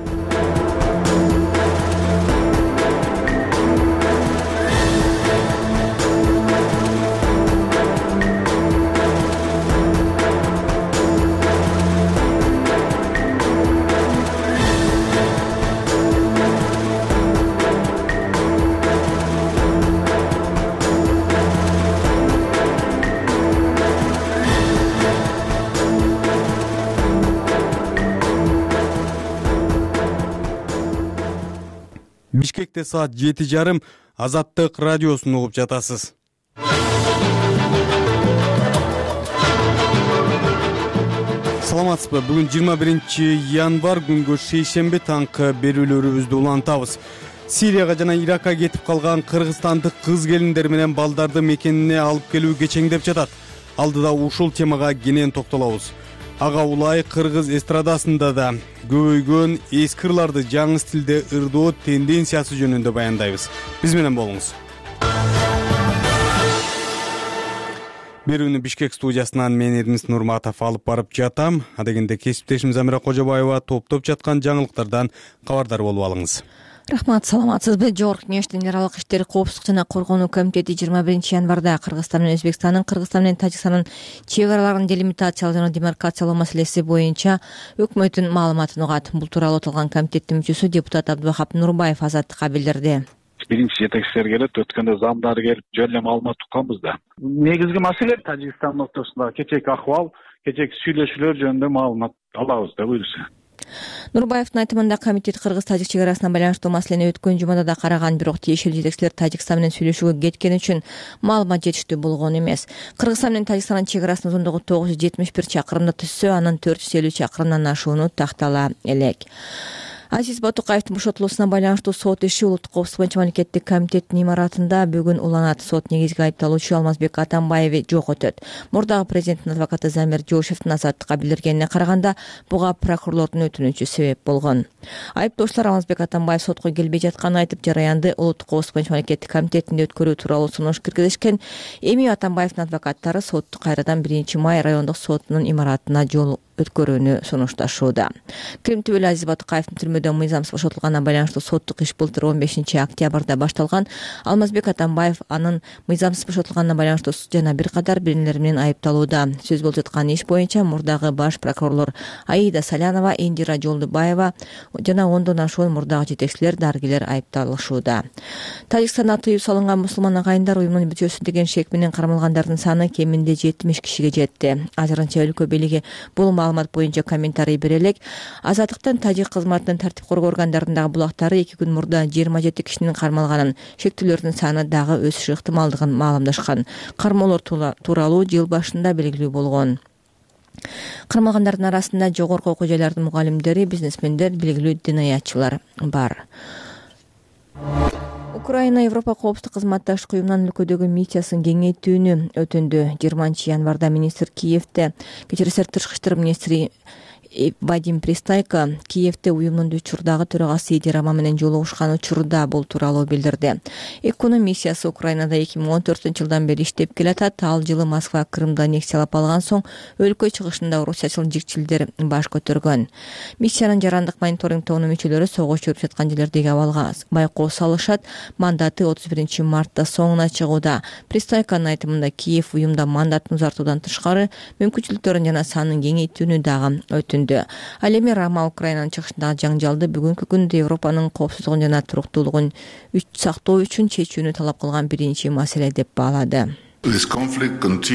Бишкекте саат жети жарым, Азаттык радиосун угуп жатасыз. Саламатсызбы? Бүгүн жыйырма биринчи январь, күнгө шейшемби, таңкы берүүлөрүбүздү улантабыз. Сирияга жана Иракка кетип калган кыргызстандык кыз келиндер менен балдарды мекенине алып келүү кечеңдеп жатат. Алдыда ушул темага кенен токтолобуз. Ага улай кыргыз эстрадасында да көбөйгөн эски ырларды жаңы стилде ырдоо тенденциясы жөнүндө баяндайбыз. Биз менен болуңуз. Берүүнү Бишкек студиясынан мен Эрнис Нурматов алып барып жатам. Адегенде кесиптешим Замира Кожобаева топтоп жаткан жаңылыктардан кабардар болуп алыңыз. Рахмат, саламатсызбы? Жогорку Кеңештин Эралык иштер, коопсуздук жана коргонуу комитети жыйырма биринчи январда Кыргызстан менен Өзбекстандын, Кыргызстан менен Тажикстандын чек араларын делимитациялоо жана демаркациялоо маселеси боюнча өкмөттүн маалыматын угат. Бул тууралуу аталган комитеттин мүчөсү депутат Абдубахап Нурбаев Азаттыкка билдирди. Биринчи жетекчилер келет, өткөндө замдар келип, жөн эле маалымат укканбыз да. Негизги маселе Тажикстан ортосунда кечээки акыбал, кечээки сүйлөшүүлөр жөнүндө маалымат алабыз да буюрса. Нурбаевдин айтымында комитет кыргыз-тажик чек арасына байланыштуу маселени өткөн жумада да караган, бирок тиешелүү жетекчилер Тажикстан менен сүйлөшүүгө кеткени үчүн маалымат жетиштүү болгон эмес. Кыргызстан менен Тажикстандын чек арасынын узундугу тогуз жүз жетимиш бир чакырымды түзсө, анын төрт жүз элүү чакырымдан ашууну тактала элек. Азиз Батукаевдин бошотулуусуна байланыштуу сот иши Улуттук коопсуздук боюнча мамлекеттик комитеттин имаратында бүгүн уланат. Сот негизги айыпталуучу Алмазбек Атамбаев жок өтөт. Мурдагы президенттин адвокаты Замир Жошевдин Азаттыкка билдиргенине караганда, буга прокурорлордун өтүнүчү себеп болгон. Айыптоочулар Алмазбек Атамбаев сотко келбей жатканын айтып, жараянды Улуттук коопсуздук боюнча мамлекеттик комитетинде өткөрүү тууралуу сунуш киргизишкен. Эми Атамбаевдин адвокаттары сотту кайрадан биринчи май райондук сотунун имаратына жол өткөрүүнү сунушташууда. Крим түбөлү Азиз Батукаевдин түрмөдө мыйзамсыз бошотулганына байланыштуу соттук иш былтыр он бешинчи октябрда башталган. Алмазбек Атамбаев анын мыйзамсыз бошотулганына байланыштуу жана бир катар биринелер менен айыпталууда. Сөз болуп жаткан иш боюнча мурдагы баш прокурорлор Аида Салянова, Индира Жолдубаева жана ондон ашуун мурдагы жетекчилер, дарыгерлер айыпталышууда. Тажикстанда тыюу салынган мусулман агайындар уюмунун бүтөсүн деген шек менен кармалгандардын саны кеминде жетимиш кишиге жетти. Азырынча өлкө бийлиги бул маалымат боюнча комментарий бере элек. Азаттыктын тажик кызматынын тартип коргоо органдарындагы булактары эки күн мурда жыйырма жети кишинин кармалганын, шектүүлөрдүн саны дагы өсүшү ыктымалдыгын маалымдашкан. Кармоолор тууралуу жыл башында белгилүү болгон. Кармалгандардын арасында жогорку окуу жайлардын мугалимдери, бизнесмендер, белгилүү динаятчылар бар. Украина Европа коопсуздук кызматташтык уюмунун өлкөдөгү миссиясын кеңейтүүнү өтүндү. жыйырманчы январда министр Киевде, кечирисиңер тышкы иштер министри Вадим Пристайко Киевде уюмдун учурдагы төрагасы Иди Рама менен жолугушкан учурда бул тууралуу билдирди. Экунун миссиясы Украинада эки миң он төртүнчү жылдан бери иштеп келатат. Ал жылы Москва Крымды аннексиялап алган соң өлкө чыгышында орусчачыл жигчилдер баш көтөргөн. Миссиянын жарандык мониторинг тобунун мүчөлөрү согуш жүрүп жаткан жерлердеги абалга байкоо салышат. Мандаты отуз биринчи мартта соңуна чыгууда. Пристайконун айтымында Киев уюмда мандатын узартуудан тышкары мүмкүнчүлүктөрүн жана санын кеңейтүүнү дагы өтүндү. Ал эми Рама Украинанын чыгышындагы жаңжалды бүгүнкү күндө Европанын коопсуздугун жана туруктуулугун сактоо үчүн чечүүнү талап кылган биринчи маселе деп баалады. Украинанын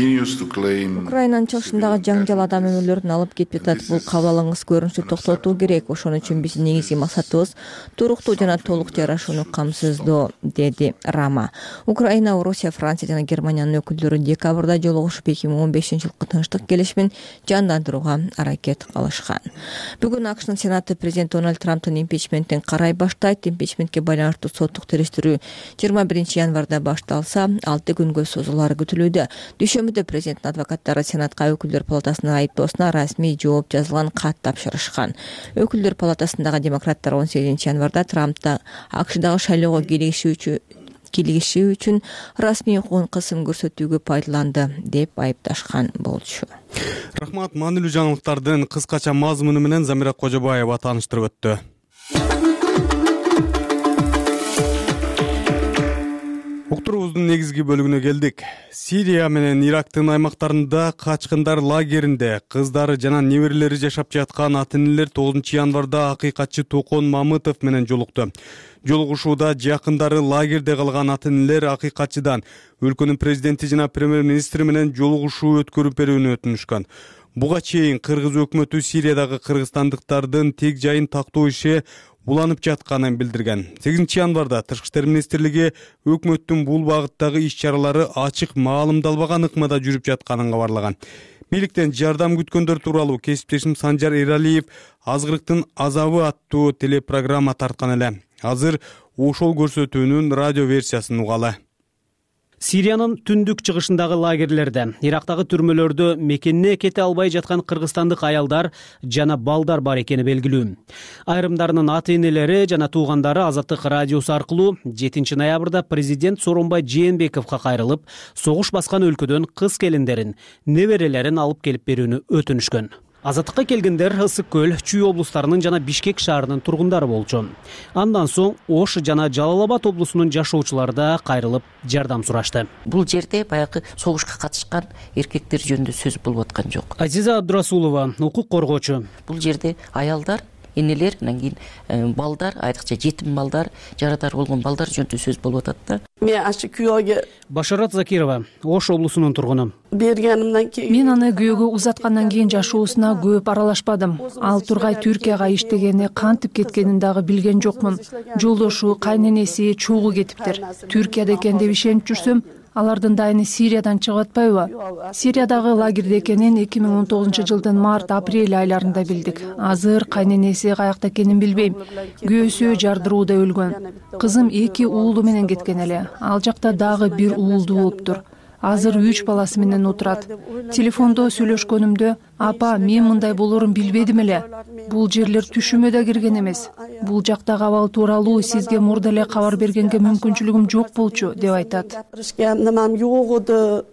чыгышындагы жаңжал адам өмүрлөрүн алып кетип жатат. Бул кабыл алынгыс көрүнүштү токтотуу керек. Ошон үчүн биздин негизги максатыбыз туруктуу жана толук жарашууну камсыздоо, деди Рама. Украина, Орусия, Франция жана Германиянын өкүлдөрү декабрда жолугушуп эки миң он бешинчи жылкы тынчтык келишимин жандандырууга аракет кылышкан. Бүгүн АКШнын Сенаты президент Дональд Трамптын импичментин карай баштайт. Импичментке байланыштуу соттук териштирүү жыйырма биринчи январда башталса, алты күнгө созулары күтүлүүдө. Дүйшөмбүдө президенттин адвокаттары Сенатка өкүлдөр палатасынын айыптоосуна расмий жооп жазылган кат тапшырышкан. Өкүлдөр палатасындагы демократтар он сегизинчи январда Трампта АКШдагы шайлоого киришүүчү кийлигиши үчүн расмий укугун кысым көрсөтүүгө пайдаланды деп айыпташкан болчу. Рахмат. Маанилүү жаңылыктардын кыскача мазмуну менен Замира Кожобаева тааныштырып өттү. Уктуруубуздун негизги бөлүгүнө келдик. Сирия менен Ирактын аймактарында качкындар лагеринде кыздары жана неберелери жашап жаткан ата-энелер тогузунчу январда акыйкатчы Токон Мамытов менен жолукту. Жолугушууда жакындары лагерде калган ата-энелер акыйкатчыдан өлкөнүн президенти жана премьер-министри менен жолугушуу өткөрүп берүүнү өтүнүшкөн. Буга чейин Кыргыз өкмөтү Сириядагы кыргызстандыктардын тег жайын тактоо иши уланып жатканын билдирген. сегизинчи январда Тышкы иштер министрлиги өкмөттүн бул багыттагы иш-чаралары ачык маалымдалбаган ыкмада жүрүп жатканын кабарлаган. Бийликтен жардам күткөндөр тууралуу кесиптешим Санжар Эралиев Азгырыктын азабы аттуу телепрограмма тарткан эле. Азыр ошол көрсөтүүнүн радио версиясын угалы. Сириянын түндүк чыгышындагы лагерлерде, Ирактагы түрмөлөрдө мекенине кете албай жаткан кыргызстандык аялдар жана балдар бар экени белгилүү. Айрымдарынын ата-энелери жана туугандары Азаттык радиосу аркылуу жетинчи ноябрда президент Сооронбай Жээнбековго кайрылып, согуш баскан өлкөдөн кыз келиндерин, неберелерин алып келип берүүнү өтүнүшкөн. Азаттыкка келгендер Ысык көл, Чүй облустарынын жана Бишкек шаарынын тургундары болчу. Андан соң Ош жана Жалал Абад облусунун жашоочулары да кайрылып жардам сурашты. Бул жерде баягы согушка катышкан эркектер жөнүндө сөз болуп аткан жок. Азиза Абдурасулова, укук коргоочу. Бул жерде аялдар, энелер, анан кийин балдар, айрыкча жетим балдар, жарадар болгон балдар жөнүндө сөз болуп атат да. Мен ашы күйөөгө Башарат Закирова, Ош облусунун тургуну. Бергенимден кийин мен аны күйөөгө узаткандан кийин жашоосуна көп аралашпадым. Ал тургай Түркияга иштегени, кантип кеткенин дагы билген жокмун. Жолдошу, кайненеси, чогуу кетиптир. Түркияда экен деп ишенип жүрсөм, алардын дайыны Сириядан чыгып атпайбы? Сириядагы лагерде экенин эки миң он тогузунчу жылдын март-апрель айларында билдик. Азыр кайненеси каякта экенин билбейм. Күйөөсү жардырууда өлгөн. Кызым эки уулу менен кеткен эле. Ал жакта дагы бир уулду болуптур. Азыр үч баласы менен отурат. Телефондо сүйлөшкөнүмдө, апа, мен мындай болорун билбедим эле. Бул жерлер түшүмө да кирген эмес. Бул жактагы абал тууралуу сизге мурда эле кабар бергенге мүмкүнчүлүгүм жок болчу деп айтат. Немем жок эди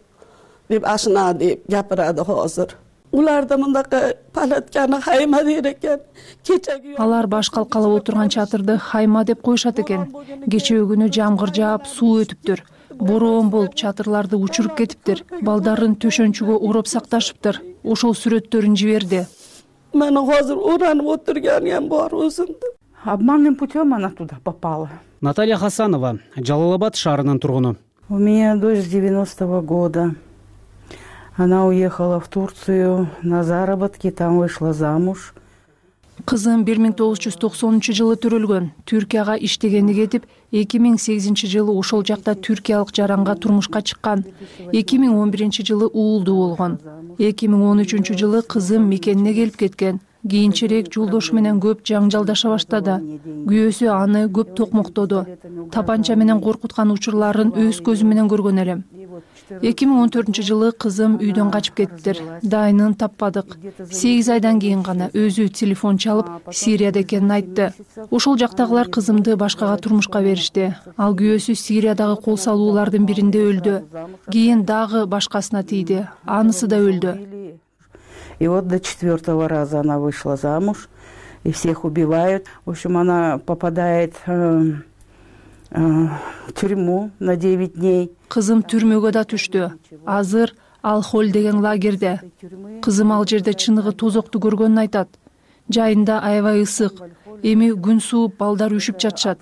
деп ашына деп жапырады азыр. Уларда мындакы палатканы хайма дейт экен. Кечеги алар баш калкалап отурган чатырды хайма деп коюшат экен. Кечеги күнү жамгыр жаап, суу өтүптүр. Бороон болуп чатырларды учуруп кетиптир. Балдарын төшөнчүгө ороп сакташыптыр. Ошол сүрөттөрүн жиберди. Мен азыр оранып отурган бар өзүмдү. Обманным путем она туда попала. Наталья Хасанова, Жалал Абад шаарынын тургуну. У меня дочь девяностого года. Она уехала в Турцию на заработки, там вышла замуж. Кызым бир миң тогуз жүз токсонунчу жылы төрөлгөн. Түркияга иштегени кетип, эки миң сегизинчи жылы ошол жакта түркиялык жаранга турмушка чыккан. эки миң он биринчи жылы уулду болгон. эки миң он үчүнчү жылы кызым мекенине келип кеткен. Кийинчерээк жолдошу менен көп жаңжалдаша баштады. Күйөөсү аны көп токмоктоду. Тапанча менен коркуткан учурларын өз көзүм менен көргөн элем. эки миң он төртүнчү жылы кызым үйдөн качып кетиптир. Дайынын таппадык. сегиз айдан кийин гана өзү телефон чалып, Сирияда экенин айтты. Ошол жактагылар кызымды башкага турмушка беришти. Ал күйөөсү Сириядагы кол салуулардын биринде өлдү. Кийин дагы башкасына тийди. Анысы да өлдү. И вот до четвертого раза она вышла замуж, и всех убивают. В общем, она попадает э, э, в тюрьму на девять дней. Кызым түрмөгө да түштү. Азыр Ал-Холь деген лагерде. Кызым ал жерде чыныгы тозокту көргөнүн айтат. Жайында аябай ысык. Эми күн сууп, балдар үшүп жатышат.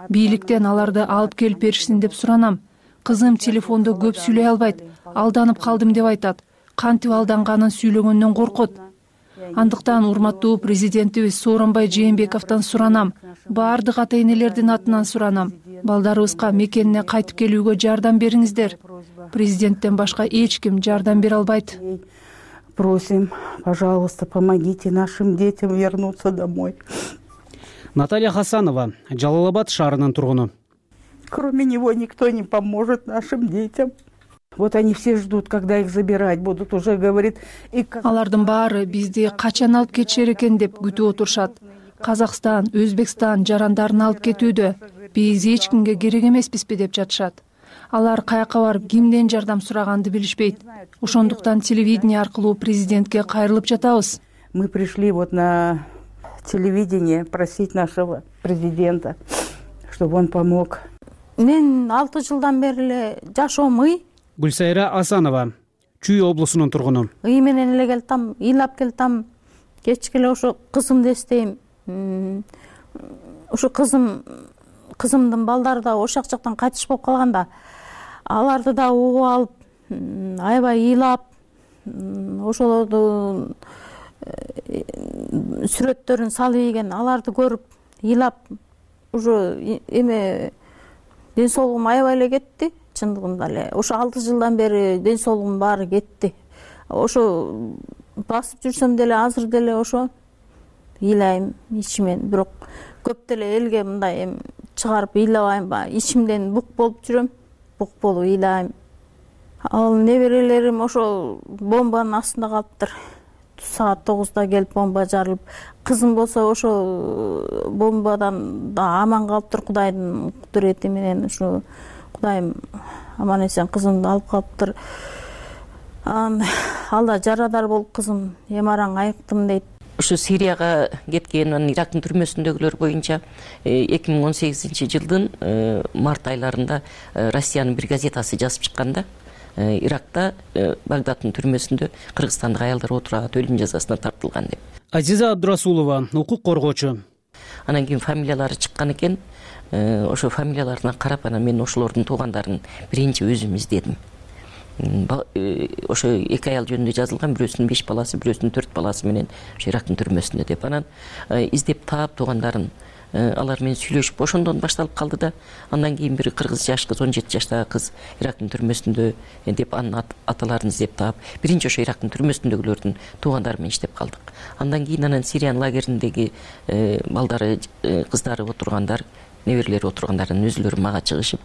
Бийликтен аларды алып келип беришсин деп суранам. Кызым телефондо көп сүйлөй албайт. Алданып калдым деп айтат. Кантип алданганын сүйлөгөндөн коркот. Андыктан урматтуу президентибиз Сооронбай Жээнбековдон суранам. Баардык ата-энелердин атынан суранам. Балдарыбызга мекенине кайтып келүүгө жардам бериңиздер. Президенттен башка эч ким жардам бере албайт. Просим, пожалуйста, помогите нашим детям вернуться домой. Наталья Хасанова, Жалал Абад шаарынын тургуну. Кроме него никто не поможет нашим детям. Вот они все ждут, когда их забирать будут, уже говорит. Алардын баары бизди качан алып кетишер экен деп күтүп отурушат. Казакстан, Өзбекстан жарандарын алып кетүүдө. биз эч кимге керек эмеспизби деп жатышат. Алар каяка барып кимден жардам сураганды билишпейт. Ошондуктан телевидение аркылуу президентке кайрылып жатабыз. Мы пришли вот на телевидение просить нашего президента, чтобы он помог. Мен алты жылдан бери эле жашоом ый. Гүлсайра Асанова, Чүй облусунун тургуну. Ый менен эле келтам, ыйлап келтам. Кечке эле ошо кызымды эстейм. Ошо кызым кызымдын балдары да ошак жактан кайтыш болуп калганда, аларды да угуп алып, аябай ыйлап, ошолорду сүрөттөрүн салып ийген, аларды көрүп ыйлап, уже эме ден соолугум аябай эле кетти. Чындыгында эле ошо алты жылдан бери ден соолугум баары кетти. Ошо басып жүрсөм деле азыр деле ошо ыйлайм ичимен, бирок көп деле элге мындай эми чыгарып ыйлабайм, баягы ичимден бук болуп жүрөм, бук болуп ыйлайм. Ал неберелерим ошо бомбанын астында калыптыр. Саат тогузда келип бомба жарылып, кызым болсо ошо бомбадан да аман калыптыр, Кудайдын кудурети менен. Ушу Кудайым аман эсен кызымды алып калыптыр. Ал да жарадар болуп кызым эмараң айыктым дейт. Ушу Сирияга кеткен, анан Ирактын түрмөсүндөгүлөр боюнча эки миң он сегизинчи жылдын март айларында Россиянын бир газетасы жазып чыкканда, Иракта Багдадтын түрмөсүндө кыргызстандык аялдар отурат, өлүм жазасына тартылган деп. Азиза Абдурасулова, укук коргоочу. Анан кийин фамилиялары чыккан экен. Ошо фамилияларына карап, анан мен ошолордун туугандарын биринчи өзүм издедим. Ошо эки аял жөнүндө жазылган, бирөөсүнүн беш баласы, бирөөсүнүн төрт баласы менен ошо Ирактын түрмөсүндө деп. Анан издеп таап туугандарын, алар менен сүйлөшүп, ошондон башталып калды да. Андан кийин бир кыргыз жаш кыз, он жети жаштагы кыз Ирактын түрмөсүндө деп анын аталарын издеп таап, биринчи ошо Ирактын түрмөсүндөгүлөрдүн туугандары менен иштеп калдык. Андан кийин анан Сириянын лагериндеги балдары, кыздары отургандар, неберелери отургандарынын өзүлөрү мага чыгышып,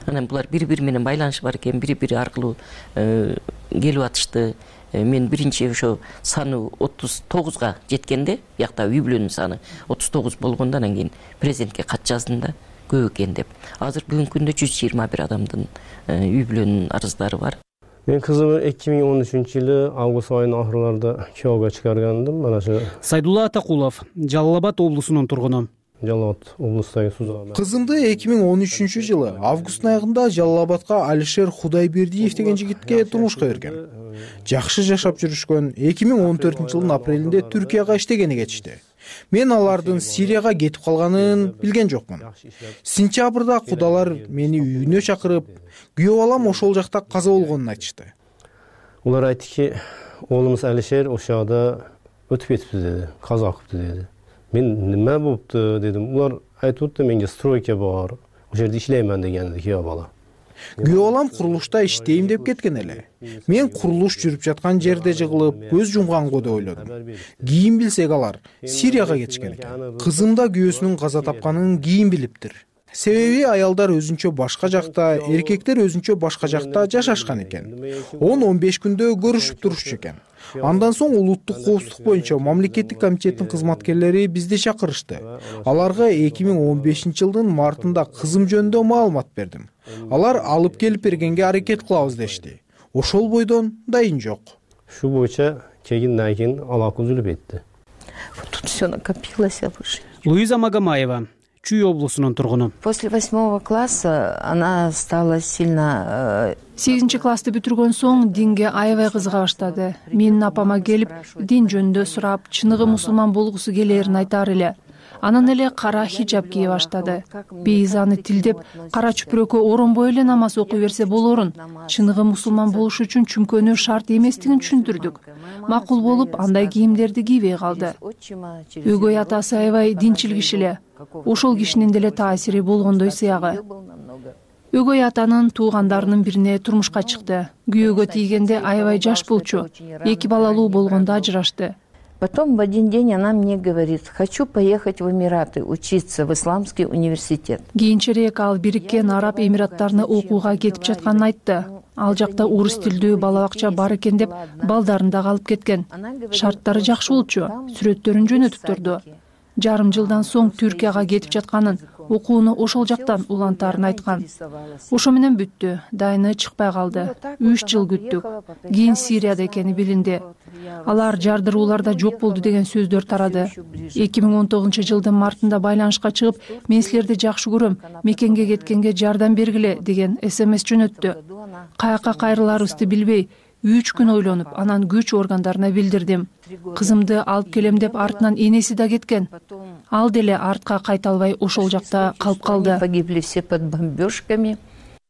анан булар бири-бири менен байланышы бар экен, бири-бири аркылуу келип атышты. Мен биринчи ошо саны отуз тогузга жеткенде, биякта үй бүлөнүн саны отуз тогуз болгондо, анан кийин президентке кат жаздым да, көп экен деп. Азыр бүгүнкү күндө жүз жыйырма бир адамдын үй бүлөнүн арыздары бар. Мен кызымды эки миң он үчүнчү жылы август айынын ахырларында күйөөгө чыгаргандым. Mana shu Сайдулла Атакулов, Жалал Абад облусунун тургуну. Жалал Абад облустагы Сузаган. Кызымды эки миң он үчүнчү жылы августтун аягында Жалал Абадка Алишер Кудайбердиев деген жигитке турмушка берген. Жакшы жашап жүрүшкөн. эки миң он төртүнчү жылдын апрелинде Түркияга иштегени кетишти. Мен алардын Сирияга кетип калганын билген жокмун. Сентябрда кудалар мени үйүнө чакырып, күйөө балам ошол жакта каза болгонун айтышты. Улар айттыки, оолумуз Алишер ошода өтүп кетипти деди, каза кылыптыр деди. Мен неме болупту дедим. Улар айтып атты, менге стройка бар, ошол жерде иштеймин дегенди күйөө бала. Күйөө балам курулушта иштейм деп кеткен эле. Мен курулуш жүрүп жаткан жерде жыгылып, көз жумганго деп ойлодум. Кийин билсек алар Сирияга кетишкен экен. Кызым да күйөөсүнүн каза тапканын кийин билиптир. Себеби аялдар өзүнчө башка жакта, эркектер өзүнчө башка жакта жашашкан экен. он он беш күндө көрүшүп турушчу экен. Андан соң улуттук коопсуздук боюнча мамлекеттик комитеттин кызматкерлери бизди чакырышты. Аларга эки миң он бешинчи жылдын мартында кызым жөнүндө маалымат бердим. Алар алып келип бергенге аракет кылабыз дешти. Ошол бойдон дайын жок. Шу боюнча кегинден кийин алака үзүлүп кетти. Тут все накопилось, выше. Луиза Магомаева, Чүй облусунун тургуну. После восьмого класса она стала сильно... сегизинчи классты бүтүргөн соң динге аябай кызыга баштады. Менин апама келип, дин жөнүндө сурап, чыныгы мусулман болгусу келээрин айтар эле. Анан эле кара хиджаб кие баштады. Биз аны тилдеп, кара чүпүрөккө оронбой эле намаз окуй берсе болорун, чыныгы мусулман болуш үчүн чүмкөнүү шарт эместигин түшүндүрдүк. Макул болуп, андай кийимдерди кийбей калды. Өгөй атасы аябай динчил киши эле. Ошол кишинин деле таасири болгондой сыягы. Өгөй атанын туугандарынын бирине турмушка чыкты. Күйөөгө тийгенде аябай жаш болчу. Эки балалуу болгондо ажырашты. Потом в один день она мне говорит: хочу поехать в Эмираты учиться в исламский университет. Кийинчерээк ал Бириккен Араб Эмираттарына окууга кетип жатканын айтты. Ал жакта орус тилдүү бала бакча бар экен деп балдарын да алып кеткен. Шарттары жакшы болчу, сүрөттөрүн жөнөтүп турду. Жарым жылдан соң Түркияга кетип жатканын, окууну ошол жактан улантаарын айткан. Ошо менен бүттү, дайыны чыкпай калды. Үч жыл күттүк. Кийин Сирияда экени билинди. Алар жардырууларда жок болду деген сөздөр тарады. эки миң он тогузунчу жылдын мартында байланышка чыгып, мен силерди жакшы көрөм, мекенге кеткенге жардам бергиле деген смс жөнөттү. Каяка кайрыларыбызды билбей, үч күн ойлонуп, анан күч органдарына билдирдим. Кызымды алып келем деп артынан энеси да кеткен. Ал деле артка кайта албай ошол жакта калып калды. Погибли все под бомбежками.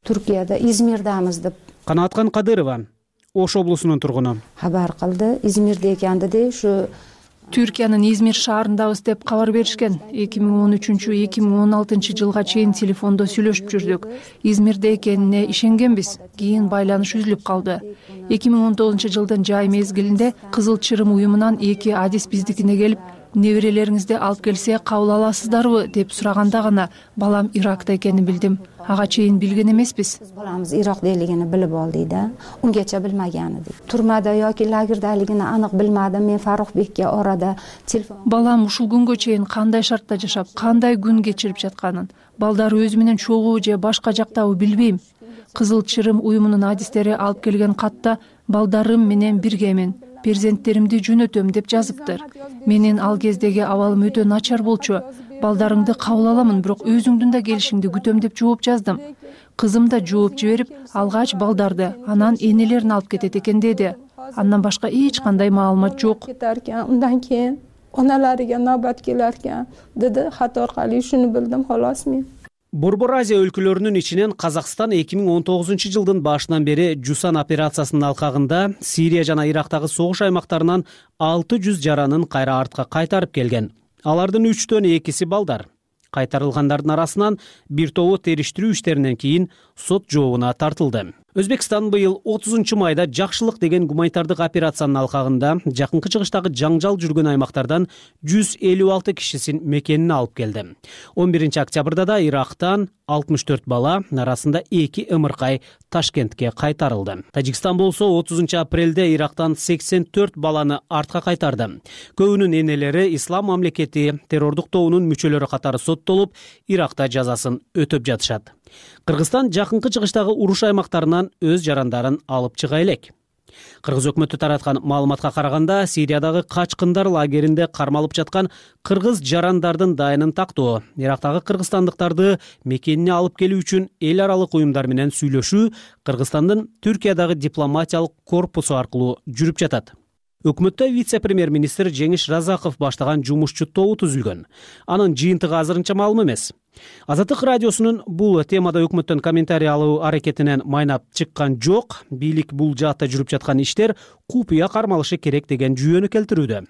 Туркияда, Измирдамыз деп. Канаткан Кадырова, Ош облусунун тургуну. Хабар калды, Измирде экенди де, ушу Түркиянын Измир шаарындабыз деп кабар беришкен. эки миң он үчүнчү — эки миң он алтынчы жылга чейин телефондо сүйлөшүп жүрдүк. Измирде экенине ишенгенбиз. Кийин байланыш үзүлүп калды. эки миң он тогузунчу жылдын жай мезгилинде Кызыл Чырым уюмунан эки адис биздикине келип, неберелериңизди алып келсе кабыл аласыздарбы деп сураганда гана балам Иракта экенин билдим. Ага чейин билген эмеспиз. Баламыз Иракдалигин билип алды да, унгача билмеген эди. Турмада yoki лагердалигин анык билмадым. Мен Фарухбекке орада телефон. Балам ушул күнгө чейин кандай шартта жашап, кандай күн кечирип жатканын, балдар өзү менен чогуу же башка жактабы билбейм. Кызыл Чырым уюмунун адистери алып келген катта балдарым менен биргемин, перзенттеримди жөнөтөм деп жазыптыр. Менин ал кездеги абалым өтө начар болчу. Балдарыңды кабыл аламын, бирок өзүңдүн да келишиңди күтөм деп жооп жаздым. Кызым да жооп жиберип, алгач балдарды, анан энелерин алып кетет экен деди. Андан башка эч кандай маалымат жок. Undan keyin onalariga navbat kelar ekan dedi. Xat orqali shuni bildim xolos men. Борбор Азия өлкөлөрүнүн ичинен Казакстан эки миң он тогузунчу жылдын башынан бери Жусан операциясынын алкагында Сирия жана Ирактагы согуш аймактарынан алты жүз жаранын кайра артка кайтарып келген. Алардын үчтөн экиси балдар. Кайтарылгандардын арасынан бир тобу териштирүү иштеринен кийин сот жообуна тартылды. Өзбекстан быйыл отузунчу майда жакшылык деген гуманитардык операциянын алкагында жакынкы чыгыштагы жаңжал жүргөн аймактардан жүз элүү алты кишисин мекенине алып келди. он биринчи октябрда да Ирактан алтымыш төрт бала, арасында эки ымыркай Ташкентке кайтарылды. Тажикстан болсо отузунчу апрелде Ирактан сексен төрт баланы артка кайтарды. Көбүнүн энелери Ислам мамлекети террордук тобунун мүчөлөрү катары соттолуп, Иракта жазасын өтөп жатышат. Кыргызстан жакынкы чыгыштагы уруш аймактарынан өз жарандарын алып чыга элек. Кыргыз өкмөтү тараткан маалыматка караганда, Сириядагы качкындар лагеринде кармалып жаткан кыргыз жарандардын дайынын тактоо, Ирактагы кыргызстандыктарды мекенине алып келүү үчүн эл аралык уюмдар менен сүйлөшүү Кыргызстандын Түркиядагы дипломатиялык корпусу аркылуу жүрүп жатат. Өкмөттө вице-премьер-министр Жеңиш Разаков баштаган жумушчу тобу түзүлгөн. Анын жыйынтыгы азырынча маалым эмес. Азаттык радиосунун бул темада өкмөттөн комментарий алуу аракетинен майнап чыккан жок. Бийлик бул жаатта жүрүп жаткан иштер купуя кармалышы керек деген жүйөнү келтирүүдө.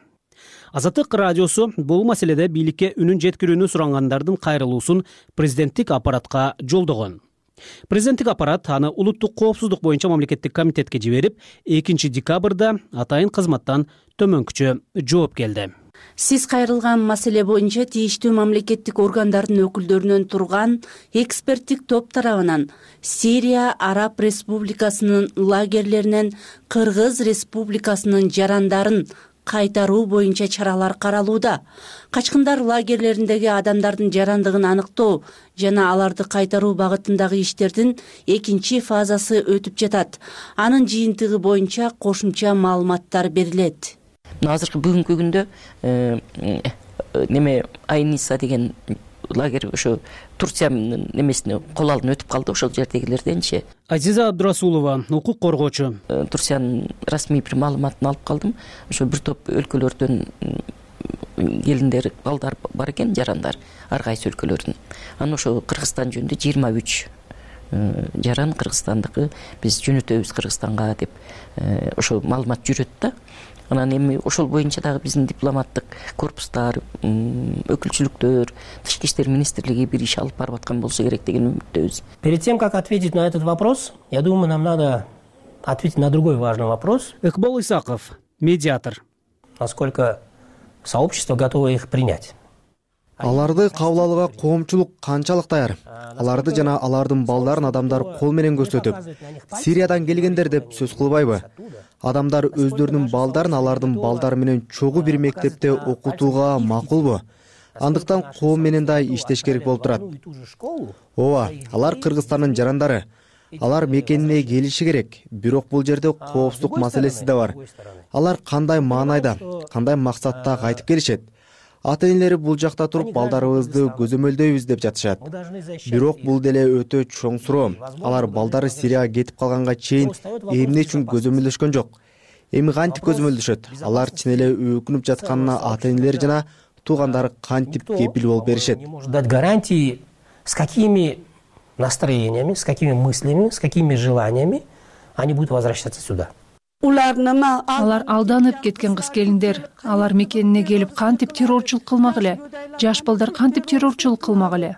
Азаттык радиосу бул маселеде бийликке үнүн жеткирүүнү сурангандардын кайрылуусун президенттик аппаратка жолдогон. Президенттик аппарат аны улуттук коопсуздук боюнча мамлекеттик комитетке жиберип, экинчи декабрда атайын кызматтан төмөнкүчө жооп келди. Сиз кайрылган маселе боюнча тийиштүү мамлекеттик органдардын өкүлдөрүнөн турган эксперттик топ тарабынан Сирия Араб Республикасынын лагерлеринен Кыргыз Республикасынын жарандарын кайтаруу боюнча чаралар каралууда. Качкындар лагерлериндеги адамдардын жарандыгын аныктоо жана аларды кайтаруу багытындагы иштердин экинчи фазасы өтүп жатат. Анын жыйынтыгы боюнча кошумча маалыматтар берилет. Азыркы бүгүнкү күндө неме Айниса деген лагерь ошо Турциянын немесине кол алдын өтүп калды, ошол жердегилерденчи. Азиза Абдурасулова, укук коргоочу. Турциянын расмий бир маалыматын алып калдым. Ошо бир топ өлкөлөрдөн келиндер, балдар бар экен, жарандар, ар кайсы өлкөлөрдүн. Анан ошо Кыргызстан жөнүндө жыйырма үч жаран кыргызстандыкы биз жөнөтөбүз Кыргызстанга деп ошо маалымат жүрөт да. Анан эми ошол боюнча дагы биздин дипломаттык корпустар, өкүлчүлүктөр, Тышкы иштер министрлиги бир иш алып барып аткан болсо керек деген үмүттөбүз. Перед тем, как ответить на этот вопрос, я думаю, нам надо ответить на другой важный вопрос. Ыкбол Исаков, медиатор. Насколько сообщество готово их принять? Аларды кабыл алууга коомчулук канчалык даяр? Аларды жана алардын балдарын адамдар кол менен көрсөтүп, Сириядан келгендер деп сөз кылбайбы? Адамдар өздөрүнүн балдарын алардын балдары менен чогуу бир мектепте окутууга макулбу? андыктан коом менен да иштеш керек болуп турат. Ооба, алар Кыргызстандын жарандары. Алар мекенине келиши керек, бирок бул жерде коопсуздук маселеси да бар. Алар кандай маанайда, кандай максатта кайтып келишет? Ата-энелери бул жакта туруп балдарыбызды көзөмөлдөйбүз деп жатышат. Бирок бул деле өтө чоң суроо. Алар балдары Сирияга кетип калганга чейин эмне үчүн көзөмөлдөшкөн жок? Эми кантип көзөмөлдөшөт? Алар чын эле өкүнүп жатканына ата-энелери жана туугандары кантип кепил болуп беришет? Дать гарантии, с какими настроениями, с какими мыслями, с какими желаниями они будут возвращаться сюда. Алар алданып кеткен кыз келиндер. Алар мекенине келип кантип террорчулук кылмак эле? Жаш балдар кантип террорчулук кылмак эле?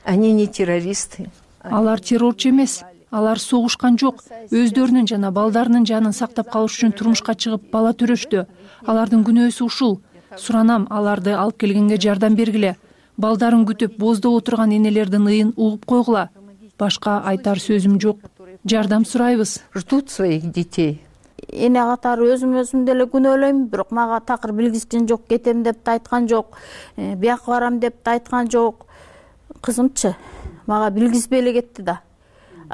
Они не террористы. Алар террорчу эмес. Алар согушкан жок. Өздөрүнүн жана балдарынын жанын сактап калыш үчүн турмушка чыгып бала төрөштү. Алардын күнөөсү ушул. Суранам, аларды алып келгенге жардам бергиле. Балдарын күтүп боздоп отурган энелердин ыйын угуп койгула. Башка айтар сөзүм жок. Жардам сурайбыз. Ждут своих детей. Эне катары өзүм өзүм деле күнөөлөйм, бирок мага такыр билгизген жок, кетем деп да айткан жок, бияка барам деп да айткан жок. Кызымчы мага билгизбей эле кетти да.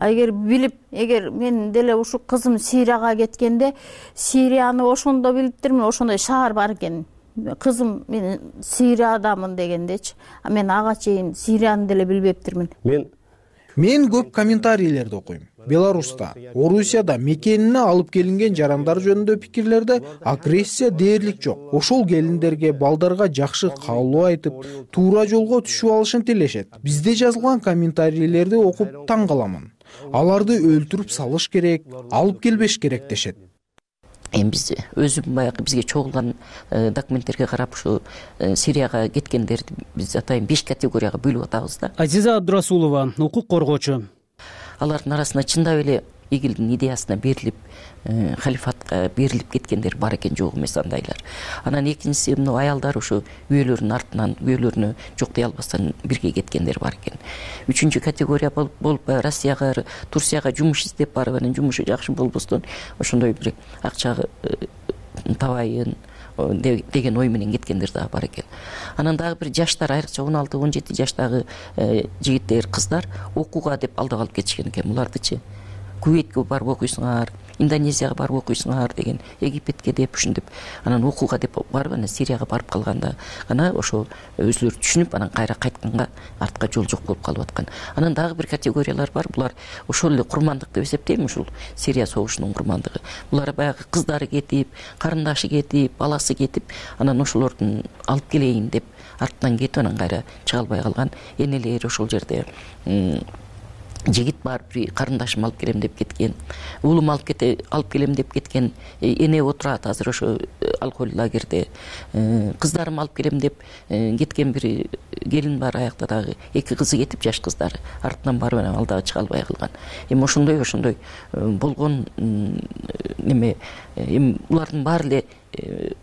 Эгер билип, эгер мен деле ушу кызым Сирияга кеткенде, Сирияны ошондо билиптирмин, ошондой шаар бар экен. Кызым мен Сириядамын дегендечи. А мен ага чейин Сирияны деле билбептирмин. Мен Мен көп комментарийлерди окуйм. Беларуста, Орусияда мекенине алып келинген жарандар жөнүндө пикирлерде агрессия дээрлик жок. Ошол келиндерге, балдарга жакшы каалоо айтып, туура жолго түшүп алышын тилешет. Бизде жазылган комментарийлерди окуп таң каламын. Аларды өлтүрүп салыш керек, алып келбеш керек дешет. Эми биз өзүм баягы бизге чогулган документтерге карап ушу Сирияга кеткендерди биз атайын беш категорияга бөлүп атабыз да. Азиза Абдурасулова, укук коргоочу. Алардын арасында чындап эле игилдин идеясына берилип, халифатка берилип кеткендер бар экен, жок эмес андайлар. Анан экинчиси мына аялдар ушу үйөлөрүнүн артынан, үйөлөрүнө жок дей албастан бирге кеткендер бар экен. Үчүнчү категория болуп Россияга, Турцияга жумуш издеп барып, анан жумушу жакшы болбостон ошондой бир акча табайын деген ой менен кеткендер дагы бар экен. Анан дагы бир жаштар, айрыкча он алты он жети жаштагы жигиттер, кыздар окууга деп алдап алып кетишкен экен. Булардычы Кувейтке барып окуйсуңар, Индонезияга барып окуйсуңар деген, Египетке деп ушинтип, анан окууга деп барып, анан Сирияга барып калганда гана ошо өзүлөрү түшүнүп, анан кайра кайтканга артка жол жок болуп калып аткан. Анан дагы бир категориялар бар. Булар ошол эле курмандык деп эсептейм, ушул Сирия согушунун курмандыгы. Булар баягы кыздары кетип, карындашы кетип, баласы кетип, анан ошолордун алып келейин деп артынан кетип, анан кайра чыга албай калган энелер ошол жерде жигит бар, бир карындашым алып келем деп кеткен, уулум алып кете алып келем деп кеткен эне отурат азыр ошо алкоголь лагерде. Кыздарым алып келем деп кеткен бир келин бар, аякта дагы эки кызы кетип, жаш кыздары артынан барып анан ал дагы чыга албай калган. Эми ошондой ошондой болгон неме, эми булардын баары эле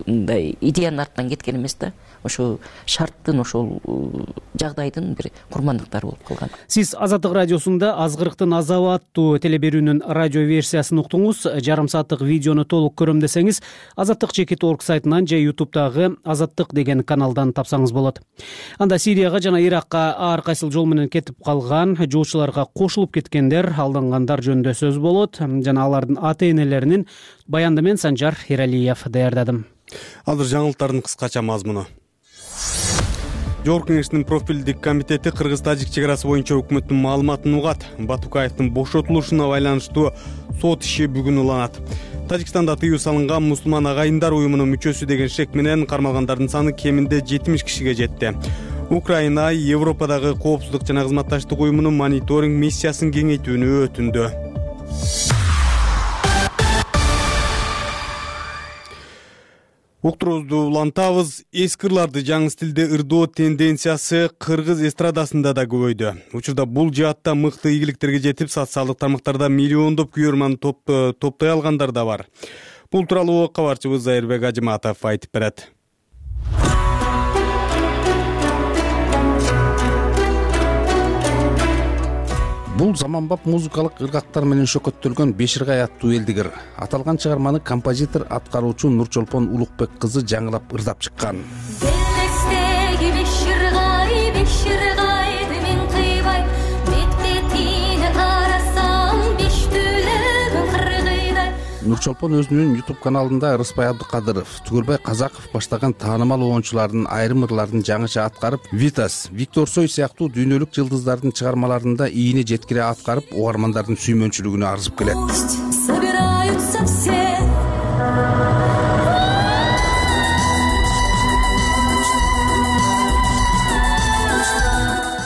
мындай идеянын артынан кеткен эмес да, ошо шарттын, ошол жагдайдын бир курмандыктары болуп калган. Сиз Азаттык радиосунда Азгырыктын азабы аттуу телеберүүнүн радио версиясын уктуңуз. Жарым сааттык видеону толук көрөм десеңиз, азаттык чекит точка орг сайтынан же ютубтагы Азаттык деген каналдан тапсаңыз болот. Анда Сирияга жана Иракка ар кайсыл жол менен кетип калган, жолчуларга кошулуп кеткендер, алдангандар жөнүндө сөз болот жана алардын ата-энелеринин баянды мен Санжар Эралиев даярдадым. Азыр жаңылыктардын кыскача мазмуну. Жогорку Кеңештин профилдик комитети Кыргыз-Тажик чек арасы боюнча өкмөттүн маалыматын угат. Батукаевдин бошотулушуна байланыштуу сот иши бүгүн уланат. Тажикстанда тыюу салынган мусулман агайындар уюмунун мүчөсү деген шек менен кармалгандардын саны кеминде жетимиш кишиге жетти. Украина Европадагы коопсуздук жана кызматташтык уюмунун мониторинг миссиясын кеңейтүүнү өтүндү. Уктуруубузду улантабыз. Эски ырларды жаңы стилде ырдоо тенденциясы кыргыз эстрадасында да көбөйдү. Учурда бул жаатта мыкты ийгиликтерге жетип, социалдык тармактарда миллиондоп көрөрман топтой алгандар да бар. Бул тууралуу кабарчыбыз Айырбек Ажыматов айтып берет. Бул заманбап музыкалык ыргактар менен шөкөттөлгөн Беширгай аттуу элдик ыр. Аталган чыгарманы композитор, аткаруучу Нурчолпон Улукбек кызы жаңылап ырдап чыккан. Нурчолпон өзүнүн YouTube каналында Ырыспай Абдыкадыров, Түгөлбай Казаков баштаган таанымал оончулардын айрым ырларын жаңыча аткарып, Витас, Виктор Цой сыяктуу дүйнөлүк жылдыздардын чыгармаларында ийине жеткире аткарып, угармандардын сүймөнчүлүгүнө арзып келет. Собираются все.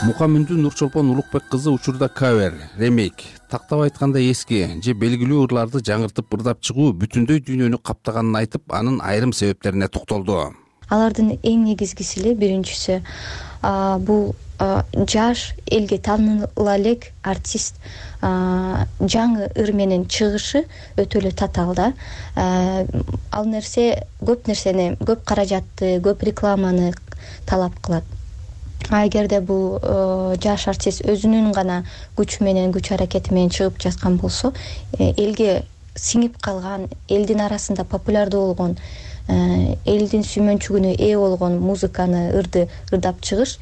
Мукамүндү Нурчолпон Улукбек кызы учурда кавер, ремейк, тактап айтканда эски же белгилүү ырларды жаңыртып ырдап чыгуу бүтүндөй дүйнөнү каптаганын айтып, анын айрым себептерине токтолду. Алардын эң негизгиси эле биринчиси бул жаш, элге тааныла элек артист жаңы ыр менен чыгышы өтө эле татаал да. Ал нерсе көп нерсени, көп каражатты, көп рекламаны талап кылат. А эгерде бул жаш артист өзүнүн гана күчү менен, күч аракети менен чыгып жаткан болсо, элге сиңип калган, элдин арасында популярдуу болгон, элдин сүймөнчүгүнө ээ болгон музыканы, ырды ырдап чыгыш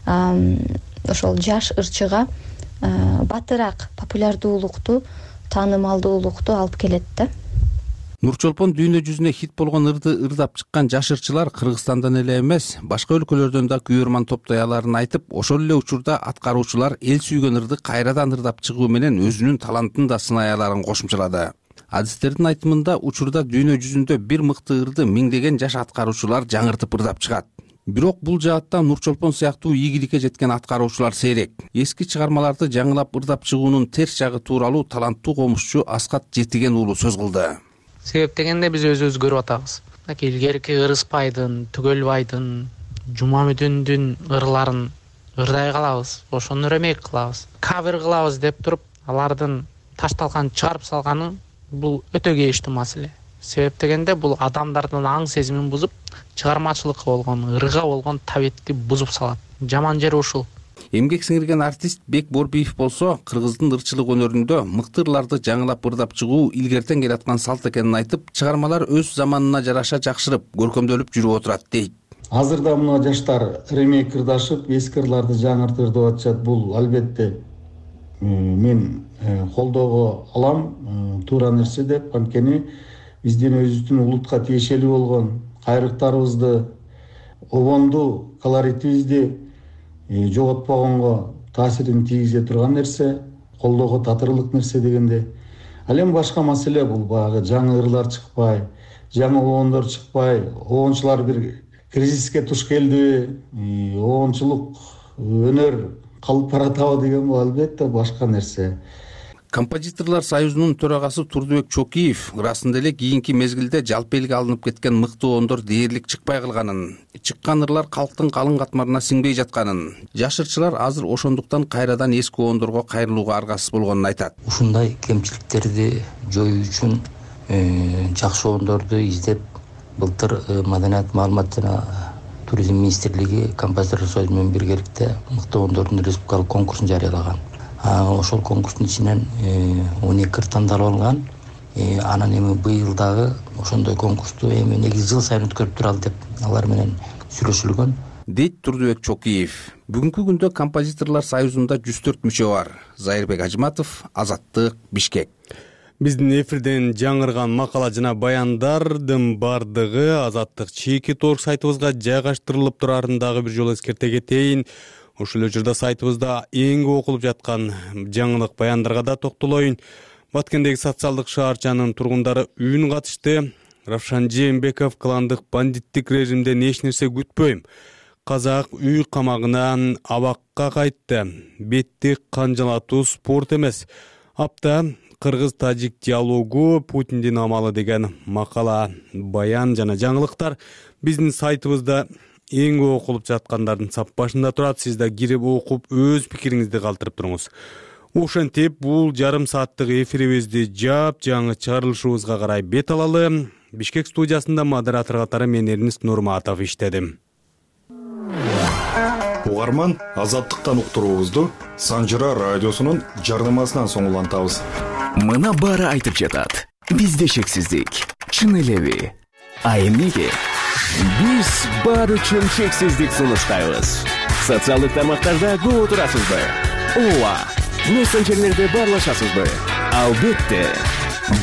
ошол жаш ырчыга батыраак популярдуулукту, таанымалдуулукту алып келет да. Нурчолпон дүйнө жүзүнө хит болгон ырды ырдап чыккан жаш ырчылар Кыргызстандан эле эмес, башка өлкөлөрдөн да күйөрман топтой аларын айтып, ошол эле учурда аткаруучулар эл сүйгөн ырды кайрадан ырдап чыгуу менен өзүнүн талантын да сынай аларын кошумчалады. Адистердин айтымында учурда дүйнө жүзүндө бир мыкты ырды миңдеген жаш аткаруучулар жаңыртып ырдап чыгат. Бирок бул жаатта Нурчолпон сыяктуу ийгиликке жеткен аткаруучулар сейрек. Эски чыгармаларды жаңылап ырдап чыгуунун терс жагы тууралуу таланттуу комузчу Аскат Жетиген уулу сөз кылды. Себеп дегенде биз өзүбүз көрүп атабыз. Илгерки Ырыспайдын, Түгөлбайдын, Жумамүдүндүн ырларын ырдай калабыз, ошону ремейк кылабыз. Кавер кылабыз деп туруп, алардын ташталган чыгарып салганы бул өтө кейиштүү маселе. Себеп дегенде бул адамдардын аң сезимин бузуп, чыгармачылыкка болгон, ырга болгон табетти бузуп салат. Жаман жери ушул. Эмгек сиңирген артист Бек Борбиев болсо, кыргыздын ырчылык өнөрүндө мыкты ырларды жаңылап ырдап чыгуу илгертен келаткан салт экенин айтып, чыгармалар өз заманына жараша жакшырып, көркөмдөлүп жүрүп отурат дейт. Азырда мына жаштар ремейк ырдашып, эски ырларды жаңыртып ырдап атышат. Бул албетте мен колдоого алам, туура нерсе деп, анткени биздин өзүбүздүн улутка тиешелүү болгон кайрыктарыбызды, обонду, колоритибизди жоготпогонго таасирин тийгизе турган нерсе, колдоого татырлык нерсе дегенде. Ал эми башка маселе бул баягы жаңы ырлар чыкпай, жаңы обондор чыкпай, обончулар бир кризиске туш келдиби, обончулук өнөр калып баратабы деген бул албетте башка нерсе. Композиторлор союзунун төрагасы Турдубек Чокиев ырасында эле кийинки мезгилде жалпы элге алынып кеткен мыкты оондор дээрлик чыкпай калганын, чыккан ырлар калктын калың катмарына сиңбей жатканын, жаш ырчылар азыр ошондуктан кайрадан эски оондорго кайрылууга аргасыз болгонун айтат. Ушундай кемчиликтерди жоюу үчүн жакшы оондорду издеп, былтыр Маданият, маалымат жана туризм министрлиги композиторлор союзу менен биргеликте мыкты оондордун республикалык конкурсун жарыялаган. Ошол конкурстун ичинен он эки ыр тандалып алынган. Анан эми быйыл дагы ошондой конкурсту эми негизи жыл сайын өткөрүп туралы деп алар менен сүйлөшүлгөн. Дейт Турдубек Чокиев. Бүгүнкү күндө композиторлор союзунда жүз төрт мүчө бар. Зайырбек Ажматов, Азаттык, Бишкек. Биздин эфирден жаңырган макала жана баяндардын бардыгы Азаттык чеки торг сайтыбызга жайгаштырылып турарын дагы бир жолу эскерте кетейин. Ушул учурда сайтыбызда эң көп окулуп жаткан жаңылык баяндарга да токтолоюн. Баткендеги социалдык шаарчанын тургундары үн катышты. Равшан Жээнбеков кландык бандиттик режимден эч нерсе күтпөйм. Казак үй камагынан абакка кайтты. Бетти канжалатуу спорт эмес. Апта кыргыз-тажик диалогу Путиндин амалы деген макала, баян жана жаңылыктар биздин сайтыбызда эң көп окулуп жаткандардын сап башында турат. Сиз да кирип окуп өз пикириңизди калтырып туруңуз. Ошентип бул жарым сааттык эфирибизди жап жаңы чыгарылышыбызга карай бет алалы. Бишкек студиясында модератор катары мен Эрнист Нурматов иштедим. Угарман Азаттыктан уктуруубузду Санжыра радиосунун жарнамасынан соң улантабыз. Мына баары айтып жатат. Бизде шексиздик. Чын элеби? А эмнеге? Биз баары үчүн шексиздик сунуштайбыз. Социалдык тармактарда көп отурасызбы? Ооба. Мессенджерлерде баарлашасызбы? Албетте.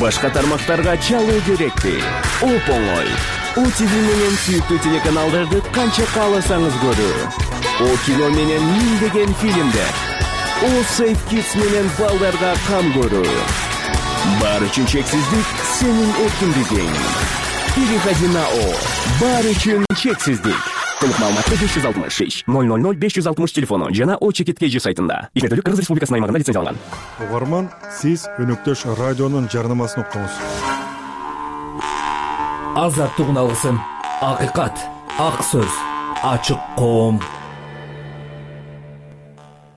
Башка тармактарга чалуу керекпи? Оп оңой. О ти ви менен сүйүктүү телеканалдарды канча кааласаңыз көрүү. О кино менен миңдеген фильмдер. О Safe Kids менен балдарга кам көрүү. Баары үчүн чексиздик сенин эркиндигиң. Переходи на О. Баары үчүн чексиздик. Толук маалыматты беш жүз алтымыш үч ноль ноль ноль беш жүз алтымыш телефону жана О чекит кей жи сайтында. Игерделүү Кыргыз Республикасынын аймагында лицензияланган. Угарман, сиз өнөктөш радионун жарнамасын уктуңуз. Азаттык үн алгысым, акыйкат, ак сөз, ачык коом.